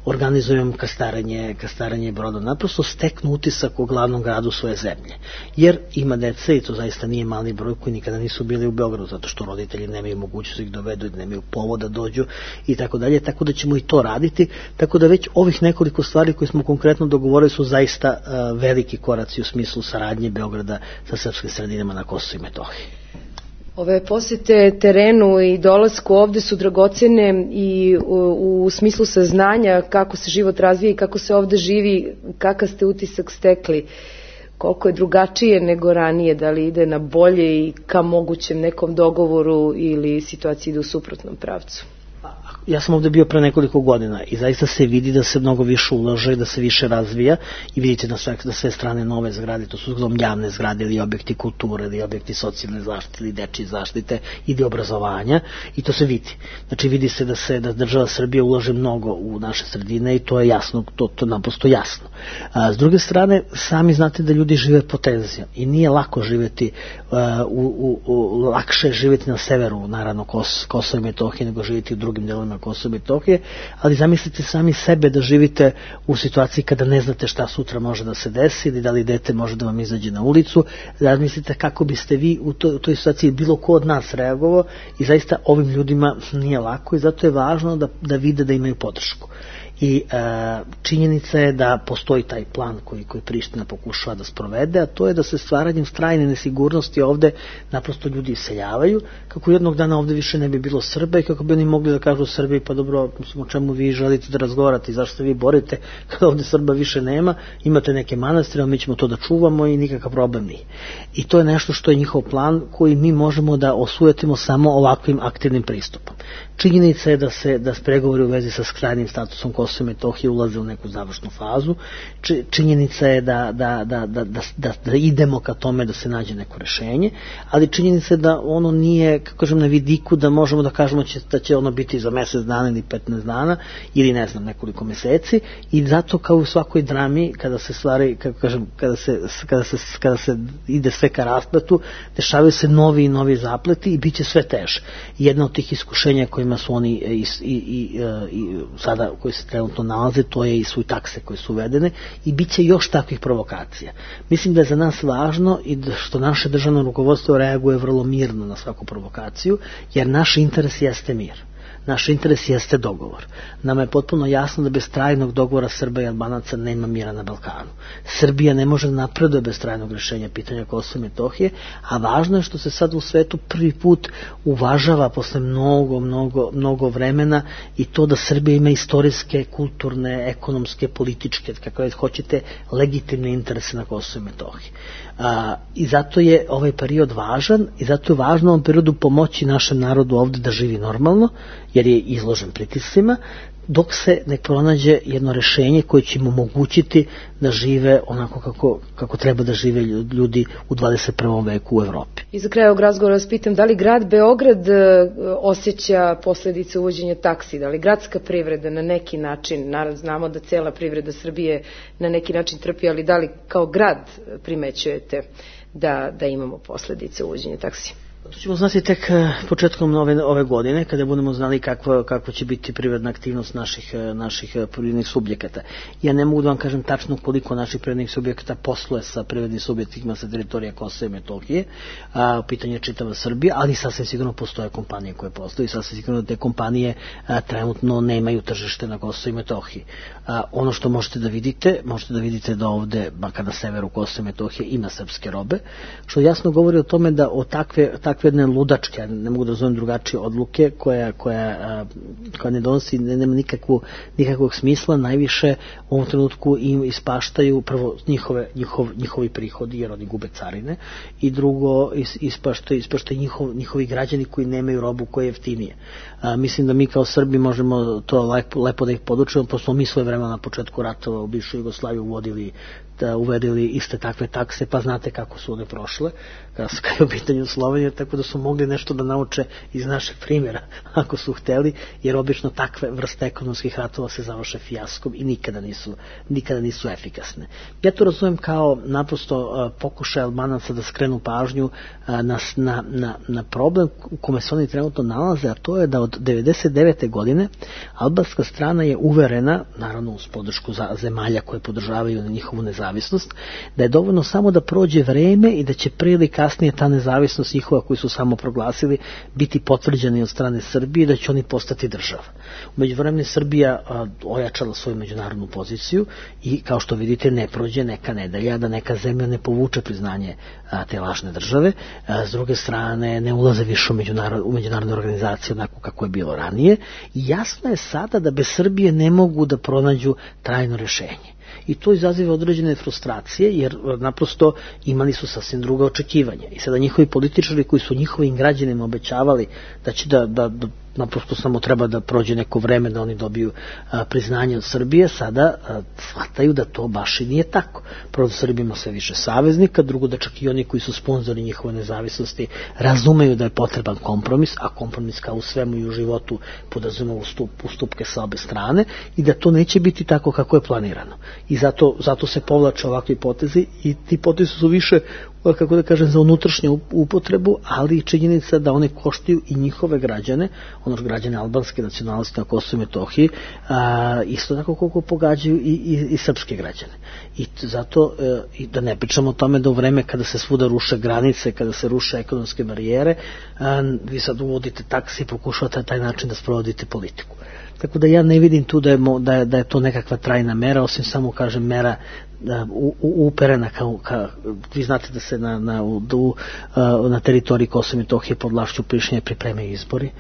organizuju kastaranje, kastaranje broda, naprosto steknu utisak o glavnom gradu svoje zemlje. Jer ima dece, i to zaista nije mali broj, koji nikada nisu bili u Beogradu, zato što roditelji nemaju mogućnost da ih dovedu, nemaju povoda da dođu i tako dalje, tako da ćemo i to raditi, tako da već ovih nekoliko stvari koje smo konkretno dogovorili su zaista uh, veliki koraci u smislu saradnje Beograda sa srpskim sredinama na Kosovu i Metohiji. Ove posete terenu i dolasku ovde su dragocene i u, u smislu saznanja kako se život razvija i kako se ovde živi, kakav ste utisak stekli, koliko je drugačije nego ranije, da li ide na bolje i ka mogućem nekom dogovoru ili situacija ide u suprotnom pravcu? Ja sam ovde bio pre nekoliko godina i zaista se vidi da se mnogo više ulaže, da se više razvija i vidite na sve, na sve strane nove zgrade, to su uglavnom javne zgrade ili objekti kulture ili objekti socijalne zaštite ili dečije zaštite ili obrazovanja i to se vidi. Znači vidi se da se da država Srbija ulaže mnogo u naše sredine i to je jasno, to, to naprosto jasno. A, s druge strane, sami znate da ljudi žive po tenzijama i nije lako živjeti, a, u, u, u, lakše živjeti na severu, naravno Kos, Kosova i Metohije nego živjeti u drugim delovima Kosova i Metohije, ali zamislite sami sebe da živite u situaciji kada ne znate šta sutra može da se desi ili da li dete može da vam izađe na ulicu, zamislite kako biste vi u toj, u toj situaciji bilo ko od nas reagovao i zaista ovim ljudima nije lako i zato je važno da, da vide da imaju podršku. I e, činjenica je da postoji taj plan koji, koji Priština pokušava da sprovede, a to je da se stvaranjem strajne nesigurnosti ovde naprosto ljudi iseljavaju, kako jednog dana ovde više ne bi bilo Srba i kako bi oni mogli da kažu Srbiji, pa dobro, o čemu vi želite da razgovarate i zašto se vi borite kada ovde Srba više nema, imate neke manastire, mi ćemo to da čuvamo i nikakav problem nije. I to je nešto što je njihov plan koji mi možemo da osujetimo samo ovakvim aktivnim pristupom. Činjenica je da se da pregovori u vezi sa krajnjim statusom Kosova i Metohije ulaze u neku završnu fazu. Činjenica je da, da, da, da, da, da, da idemo ka tome da se nađe neko rešenje, ali činjenica je da ono nije, kako kažem, na vidiku da možemo da kažemo će, da će ono biti za mesec dana ili petnaest dana ili ne znam nekoliko meseci i zato kao u svakoj drami kada se stvari, kako kažem, kada se, kada se, kada se ide sve ka rasplatu, dešavaju se novi i novi zapleti i bit će sve teže. Jedna od tih iskušenja kojima su oni i, i, i, i sada koji se trenutno nalaze, to je i su takse koje su uvedene i bit će još takvih provokacija. Mislim da je za nas važno i da što naše državno rukovodstvo reaguje vrlo mirno na svaku provokaciju, jer naš interes jeste mir. Naš interes jeste dogovor. Nama je potpuno jasno da bez trajnog dogovora Srba i Albanaca nema mira na Balkanu. Srbija ne može napreduje bez trajnog rješenja pitanja Kosova i Metohije, a važno je što se sad u svetu prvi put uvažava posle mnogo, mnogo, mnogo vremena i to da Srbija ima istorijske, kulturne, ekonomske, političke, kako već hoćete, legitimne interese na Kosovu i Metohiji. A, I zato je ovaj period važan i zato je važno u ovom periodu pomoći našem narodu ovde da živi normalno, jer je izložen pritiscima, dok se ne pronađe jedno rešenje koje će im omogućiti da žive onako kako, kako treba da žive ljudi u dvadeset prvom veku u Evropi. I za kraj ovog razgovora vas pitam, da li grad Beograd osjeća posledice uvođenja taksi, da li gradska privreda na neki način, naravno znamo da cela privreda Srbije na neki način trpi, ali da li kao grad primećujete da, da imamo posledice uvođenja taksi? To ćemo znati tek početkom ove, ove godine, kada budemo znali kakva, kakva će biti privredna aktivnost naših, naših privrednih subjekata. Ja ne mogu da vam kažem tačno koliko naših privrednih subjekata posluje sa privrednim subjektima sa teritorija Kosova i Metohije, a, pitanje je čitava Srbija, ali sasvim sigurno postoje kompanije koje postoje i sasvim sigurno da te kompanije a, trenutno nemaju tržište na Kosovu i Metohiji. A, ono što možete da vidite, možete da vidite da ovde, makar na severu Kosova i Metohije, ima srpske robe, što jasno govori o tome da o takve, takve jedne ludačke, ne mogu da zovem drugačije odluke, koja, koja, koja ne donosi, ne, nema nikakvu, nikakvog smisla, najviše u ovom trenutku im ispaštaju prvo njihove, njihov, njihovi prihodi, jer oni gube carine, i drugo is, ispaštaju, ispaštaju njihov, njihovi građani koji nemaju robu koja je jeftinije. A, mislim da mi kao Srbi možemo to lepo, lepo da ih podučimo, pošto smo mi svoje vremena na početku ratova u bivšoj Jugoslaviji uvodili da uvedili iste takve takse, pa znate kako su one prošle, kada je u pitanju Slovenije, tako da su mogli nešto da nauče iz našeg primjera, ako su hteli, jer obično takve vrste ekonomskih ratova se završe fijaskom i nikada nisu, nikada nisu efikasne. Ja to razumem kao naprosto pokušaj Albanaca da skrenu pažnju na, na, na, na problem u kome se oni trenutno nalaze, a to je da od devedeset devete godine albanska strana je uverena, naravno uz podršku zemalja koje podržavaju njihovu nezavisnost, da je dovoljno samo da prođe vreme i da će prije ili kasnije ta nezavisnost njihova koju su samo proglasili biti potvrđena od strane Srbije, da će oni postati država. U međuvremenu Srbija a, ojačala svoju međunarodnu poziciju i kao što vidite ne prođe neka nedelja da neka zemlja ne povuče priznanje a, te lažne države, a, s druge strane ne ulaze više u, međunarod, u međunarodne organizacije onako kako je bilo ranije i jasno je sada da bez Srbije ne mogu da pronađu trajno rješenje. I to izaziva određene frustracije, jer naprosto imali su sasvim druga očekivanja. I sada njihovi političari koji su njihovim građanima obećavali da će da, da, da naprosto samo treba da prođe neko vreme da oni dobiju a, priznanje od Srbije, sada a, shvataju da to baš i nije tako. Prvo da Srbija ima sve više saveznika, drugo da čak i oni koji su sponzori njihove nezavisnosti razumeju da je potreban kompromis, a kompromis kao u svemu i u životu podrazumeva ustup, ustupke sa obe strane i da to neće biti tako kako je planirano. I zato, zato se povlače ovakvi potezi i ti potezi su više, kako da kažem, za unutrašnju upotrebu, ali i činjenica da one koštaju i njihove građane, ono građane albanske nacionalnosti na Kosovu i Metohiji, a, isto tako koliko pogađaju i, i, i srpske građane. I zato, e, i da ne pričamo o tome da u vreme kada se svuda ruše granice, kada se ruše ekonomske barijere, a, vi sad uvodite taksi i pokušavate na taj način da sprovodite politiku. Tako da ja ne vidim tu da je, da je, da je to nekakva trajna mera, osim samo, kažem, mera da, u, u, uperena kao, ka, vi znate da se na, na, u, na teritoriji Kosova i Metohije pod vlašću Prištine pripremaju izbori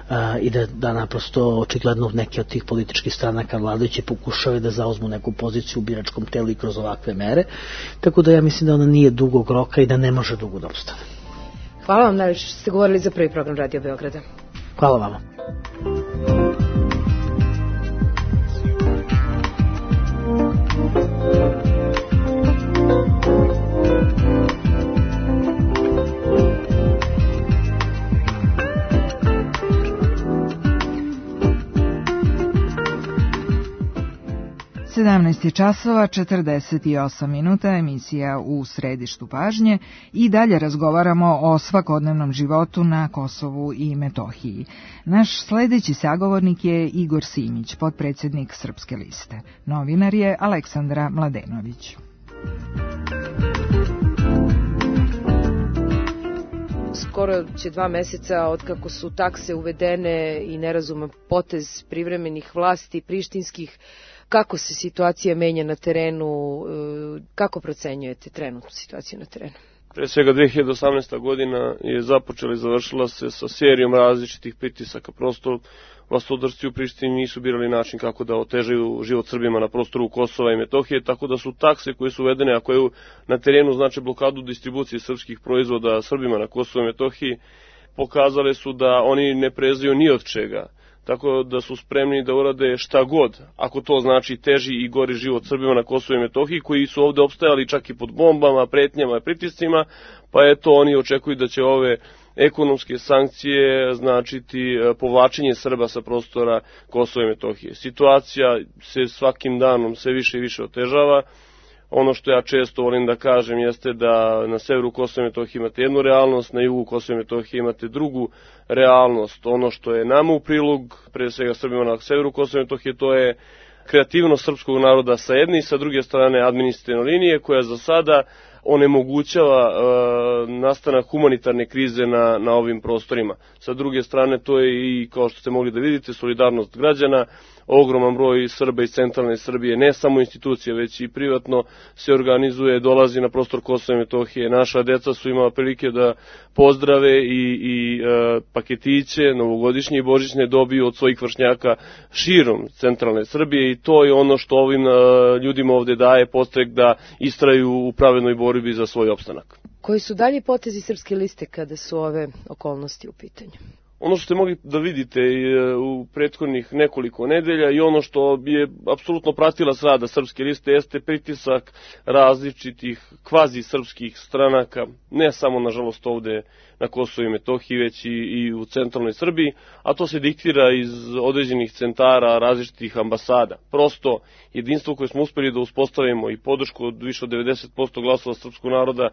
a, i da, da naprosto očigledno neke od tih političkih stranaka vladajući pokušaju da zauzmu neku poziciju u biračkom telu i kroz ovakve mere, tako da ja mislim da ona nije dugog roka i da ne može dugo da obstane. Hvala vam najviše što ste govorili za prvi program Radio Beograda. Hvala vama. sedamnaest časova četrdeset osam minuta, emisija U središtu pažnje i dalje razgovaramo o svakodnevnom životu na Kosovu i Metohiji. Naš sledeći sagovornik je Igor Simić, potpredsjednik Srpske liste. Novinar je Aleksandra Mladenović. Skoro će dva meseca od kako su takse uvedene i nerazuman potez privremenih vlasti prištinskih. Kako se situacija menja na terenu, kako procenjujete trenutnu situaciju na terenu? Pre svega dve hiljade osamnaesta godina je započela i završila se sa serijom različitih pritisaka. Prosto vlastodršci u Prištini nisu birali način kako da otežaju život Srbima na prostoru Kosova i Metohije, tako da su takse koje su uvedene, a koje na terenu znači blokadu distribucije srpskih proizvoda Srbima na Kosovu i Metohiji, pokazale su da oni ne prezaju ni od čega. Tako da su spremni da urade šta god, ako to znači teži i gori život Srbima na Kosovu i Metohiji, koji su ovde opstajali čak i pod bombama, pretnjama i pritiscima, pa eto oni očekuju da će ove ekonomske sankcije značiti povlačenje Srba sa prostora Kosova i Metohije. Situacija se svakim danom sve više i više otežava. Ono što ja često volim da kažem jeste da na severu Kosova i Metohije imate jednu realnost, na jugu Kosova i Metohije imate drugu realnost. Ono što je nama u prilog, pre svega Srbima na severu Kosova i Metohije, to je kreativnost srpskog naroda sa jedne i sa druge strane administrativne linije koja za sada onemogućava e, nastanak humanitarne krize na, na ovim prostorima. Sa druge strane to je i, kao što ste mogli da vidite, solidarnost građana. Ogroman broj Srba iz centralne Srbije, ne samo institucije, već i privatno se organizuje, dolazi na prostor Kosova i Metohije. Naša deca su imala prilike da pozdrave i, i e, paketiće novogodišnje i božićne dobiju od svojih vršnjaka širom centralne Srbije i to je ono što ovim e, ljudima ovde daje podstrek da istraju u pravednoj borbi za svoj opstanak. Koji su dalji potezi Srpske liste kada su ove okolnosti u pitanju? ono što ste mogli da vidite u prethodnih nekoliko nedelja i ono što je apsolutno pratilac rada Srpske liste jeste pritisak različitih kvazi srpskih stranaka, ne samo nažalost ovde na Kosovu i Metohiji, već i, i u centralnoj Srbiji, a to se diktira iz određenih centara različitih ambasada. Prosto jedinstvo koje smo uspeli da uspostavimo i podršku od više od devedeset posto glasova srpskog naroda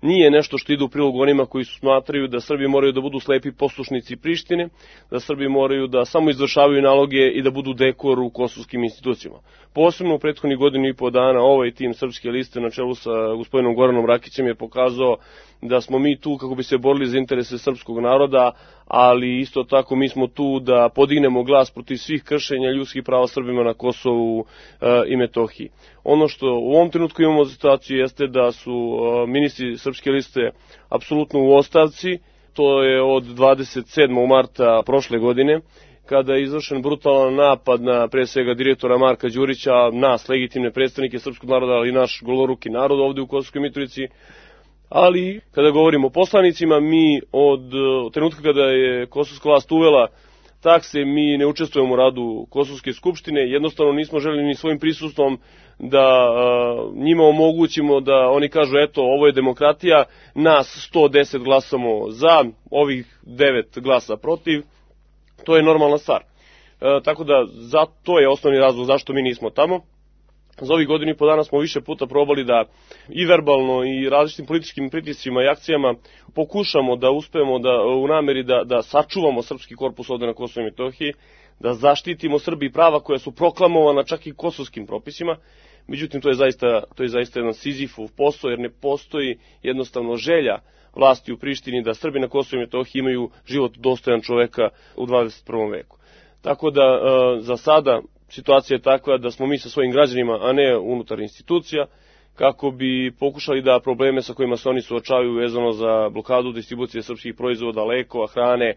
nije nešto što ide u prilog onima koji su smatraju da Srbi moraju da budu slepi poslušnici Prištine, da Srbi moraju da samo izvršavaju naloge i da budu dekor u kosovskim institucijama. Posebno u prethodnih godinu i po dana ovaj tim Srpske liste na čelu sa gospodinom Goranom Rakićem je pokazao da smo mi tu kako bi se borili za interese srpskog naroda, ali isto tako mi smo tu da podignemo glas protiv svih kršenja ljudskih prava Srbima na Kosovu e, i Metohiji. Ono što u ovom trenutku imamo situaciju jeste da su e, ministri Srpske liste apsolutno u ostavci, to je od dvadeset sedmog marta prošle godine, kada je izvršen brutalan napad na pre svega direktora Marka Đurića, nas, legitimne predstavnike srpskog naroda, ali i naš goloruki narod ovde u Kosovskoj Mitrovici. Ali, kada govorimo o poslanicima, mi od trenutka kada je kosovska vlast uvela takse, mi ne učestvujemo u radu Kosovske skupštine, jednostavno nismo želeli ni svojim prisustvom da a, njima omogućimo da oni kažu eto ovo je demokratija, nas sto deset glasamo za, ovih devet glasa protiv, to je normalna stvar. E, tako da za, to je osnovni razlog zašto mi nismo tamo. Za ovih godinu i po dana smo više puta probali da i verbalno i različitim političkim pritiscima i akcijama pokušamo da uspemo da, u nameri da, da sačuvamo srpski korpus ovde na Kosovu i Metohiji, da zaštitimo Srbi prava koja su proklamovana čak i kosovskim propisima. Međutim, to je zaista, to je zaista jedan Sizifov posao, jer ne postoji jednostavno želja vlasti u Prištini da Srbi na Kosovu i Metohiji imaju život dostojan čoveka u dvadeset prvom veku. Tako da za sada situacija je takva da smo mi sa svojim građanima, a ne unutar institucija, kako bi pokušali da probleme sa kojima se oni suočavaju vezano za blokadu distribucije srpskih proizvoda, lekova, hrane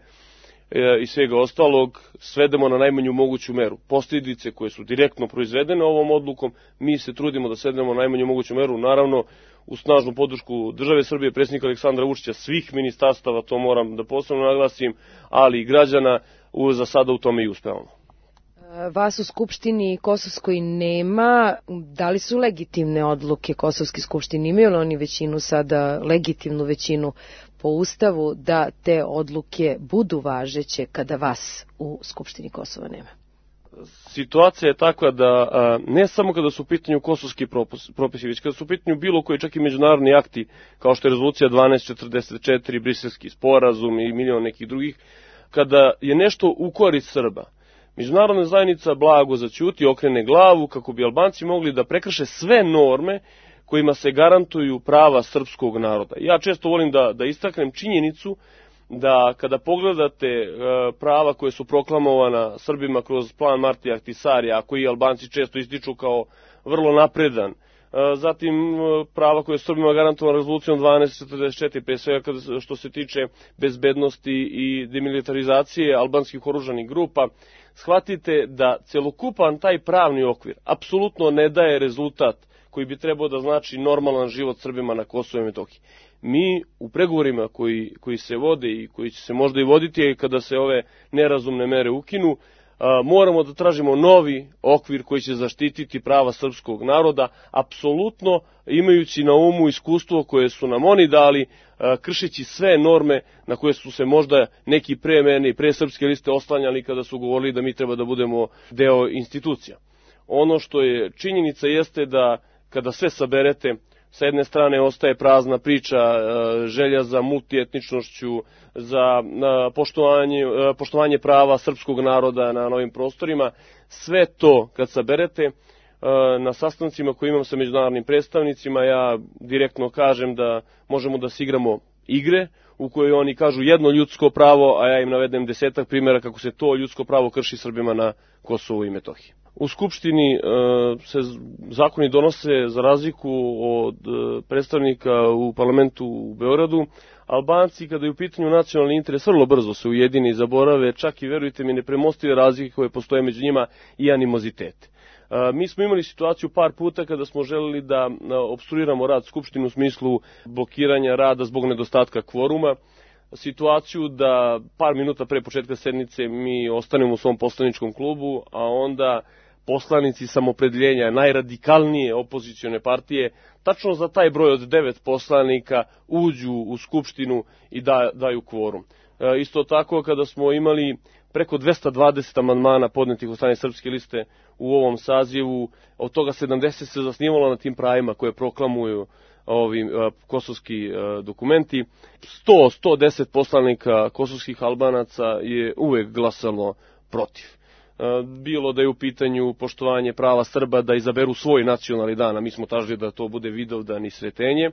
e, i svega ostalog, svedemo na najmanju moguću meru. Posljedice koje su direktno proizvedene ovom odlukom, mi se trudimo da svedemo na najmanju moguću meru, naravno u snažnu podršku države Srbije, predsjednika Aleksandra Vučića, svih ministarstava, to moram da posebno naglasim, ali i građana, u, za sada u tome i uspevamo. Vas u Skupštini Kosovskoj nema. Da li su legitimne odluke Kosovske skupštine? Imaju li oni većinu sada, legitimnu većinu po Ustavu, da te odluke budu važeće kada vas u Skupštini Kosova nema? Situacija je takva da ne samo kada su u pitanju kosovski propisi, već kada su u pitanju bilo koji čak i međunarodni akti, kao što je rezolucija dvanaest četrdeset četiri, Briselski sporazum i milion nekih drugih, kada je nešto u korist Srba, međunarodna zajednica blago zaćuti, okrene glavu kako bi Albanci mogli da prekrše sve norme kojima se garantuju prava srpskog naroda. Ja često volim da, da istaknem činjenicu da kada pogledate e, prava koje su proklamovana Srbima kroz plan Martija Ahtisarija, a koji Albanci često ističu kao vrlo napredan, e, zatim e, prava koje su Srbima garantovana rezolucijom dvanaest četrdeset četiri, pre svega kada, što se tiče bezbednosti i demilitarizacije albanskih oružanih grupa, shvatite da celokupan taj pravni okvir apsolutno ne daje rezultat koji bi trebao da znači normalan život Srbima na Kosovu i Metohiji. Mi u pregovorima koji, koji se vode i koji će se možda i voditi kada se ove nerazumne mere ukinu, a, moramo da tražimo novi okvir koji će zaštititi prava srpskog naroda, apsolutno imajući na umu iskustvo koje su nam oni dali, a, kršeći sve norme na koje su se možda neki pre mene i pre Srpske liste oslanjali kada su govorili da mi treba da budemo deo institucija. Ono što je činjenica jeste da kada sve saberete, sa jedne strane ostaje prazna priča, želja za multietničnošću, za poštovanje, poštovanje prava srpskog naroda na novim prostorima. Sve to kad saberete na sastancima koje imam sa međunarodnim predstavnicima, ja direktno kažem da možemo da se igramo igre u kojoj oni kažu jedno ljudsko pravo, a ja im navedem desetak primjera kako se to ljudsko pravo krši Srbima na Kosovu i Metohiji. U Skupštini e, se zakoni donose za razliku od e, predstavnika u parlamentu u Beogradu. Albanci, kada je u pitanju nacionalni interes, vrlo brzo se ujedini i zaborave, čak i, verujte mi, nepremostive razlike koje postoje među njima i animozitete. E, mi smo imali situaciju par puta kada smo želeli da opstruiramo rad Skupštine u smislu blokiranja rada zbog nedostatka kvoruma. situaciju da par minuta pre početka sednice mi ostanemo u svom poslaničkom klubu, a onda poslanici samopredeljenja najradikalnije opozicione partije tačno za taj broj od devet poslanika uđu u Skupštinu i da, daju kvorum. E, isto tako kada smo imali preko dvesta dvadeset amandmana podnetih od strane Srpske liste u ovom sazivu, od toga sedamdeset se zasnivalo na tim pravima koje proklamuju ovi uh, kosovski uh, dokumenti. sto do sto deset poslanika kosovskih Albanaca je uvek glasalo protiv. Uh, bilo da je u pitanju poštovanje prava Srba da izaberu svoj nacionalni dan, a mi smo tražili da to bude Vidovdan i Sretenje.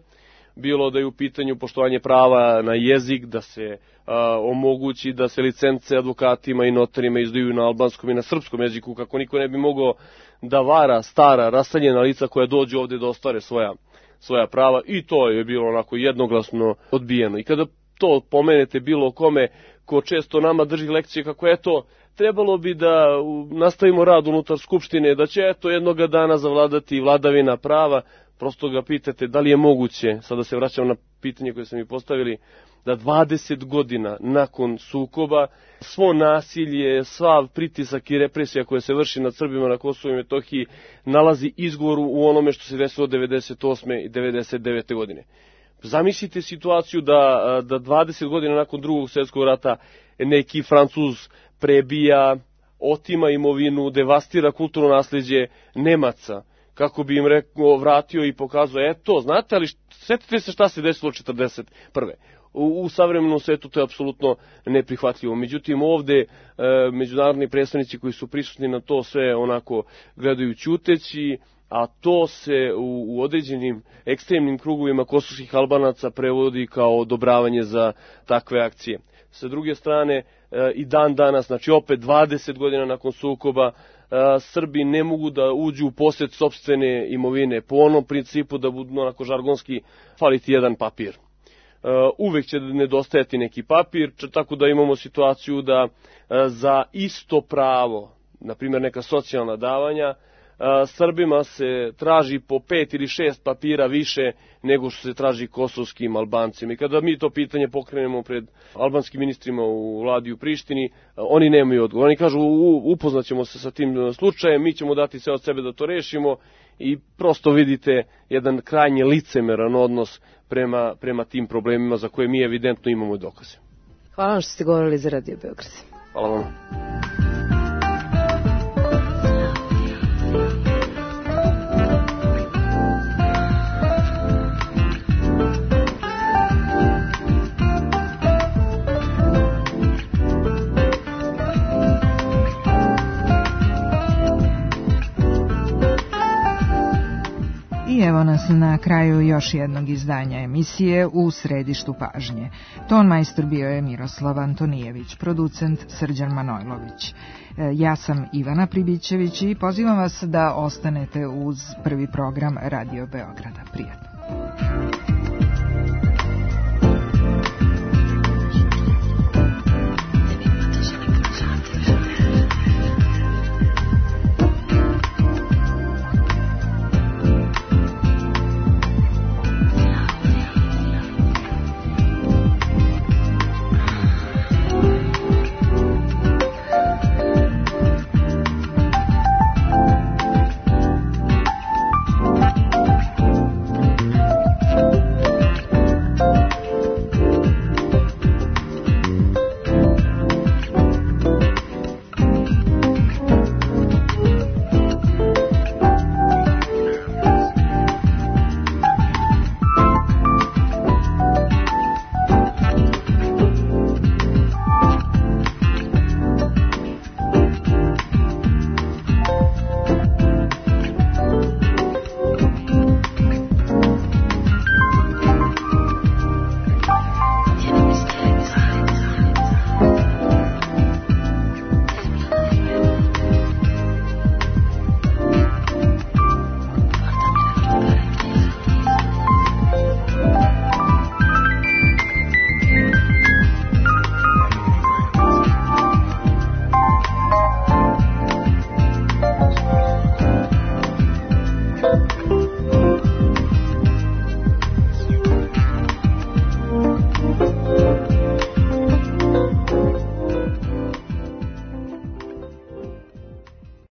Bilo da je u pitanju poštovanje prava na jezik, da se uh, omogući da se licence advokatima i notarima izdaju na albanskom i na srpskom jeziku, kako niko ne bi mogao da vara stara, raseljena lica koja dođu ovde da ostvare svoja svoja prava, i to je bilo onako jednoglasno odbijeno. I kada to pomenete bilo kome ko često nama drži lekcije kako eto, trebalo bi da nastavimo rad unutar Skupštine, da će eto jednoga dana zavladati vladavina prava, prosto ga pitate da li je moguće, sada se vraćam na pitanje koje sam mi postavili, da dvadeset godina nakon sukoba svo nasilje, sva pritisak i represija koja se vrši nad Srbima na Kosovu i Metohiji nalazi izgovor u onome što se desilo devedeset osme i devedeset devete godine. Zamislite situaciju da, da dvadeset godina nakon drugog svjetskog rata neki Francuz prebija, otima imovinu, devastira kulturno nasljeđe Nemaca, kako bi im rekao, vratio i pokazao, eto, znate, ali sjetite se šta se desilo četrdeset prve. U, u savremenom svetu to je apsolutno neprihvatljivo. Međutim, ovde e, međunarodni predstavnici koji su prisutni na to sve onako gledaju ćuteći, a to se u, u određenim ekstremnim krugovima kosovskih Albanaca prevodi kao odobravanje za takve akcije. Sa druge strane, e, i dan danas, znači opet dvadeset godina nakon sukoba, e, Srbi ne mogu da uđu u posjed sopstvene imovine po onom principu da budu onako žargonski faliti jedan papir. Uh, uvek će nedostajati neki papir, tako da imamo situaciju da uh, za isto pravo, na primjer neka socijalna davanja, uh, Srbima se traži po pet ili šest papira više nego što se traži kosovskim Albancima. I kada mi to pitanje pokrenemo pred albanskim ministrima u vladi u Prištini, uh, oni nemaju odgovor. Oni kažu upoznaćemo se sa tim slučajem, mi ćemo dati sve od sebe da to rešimo, i prosto vidite jedan krajnje licemeran odnos prema, prema tim problemima za koje mi evidentno imamo dokaze. Hvala vam što ste govorili za Radio Beograd. Hvala vam. I evo nas na kraju još jednog izdanja emisije U središtu pažnje. Ton majstor bio je Miroslav Antonijević, producent Srđan Manojlović. Ja sam Ivana Pribićević i pozivam vas da ostanete uz prvi program Radio Beograda. Prijatno.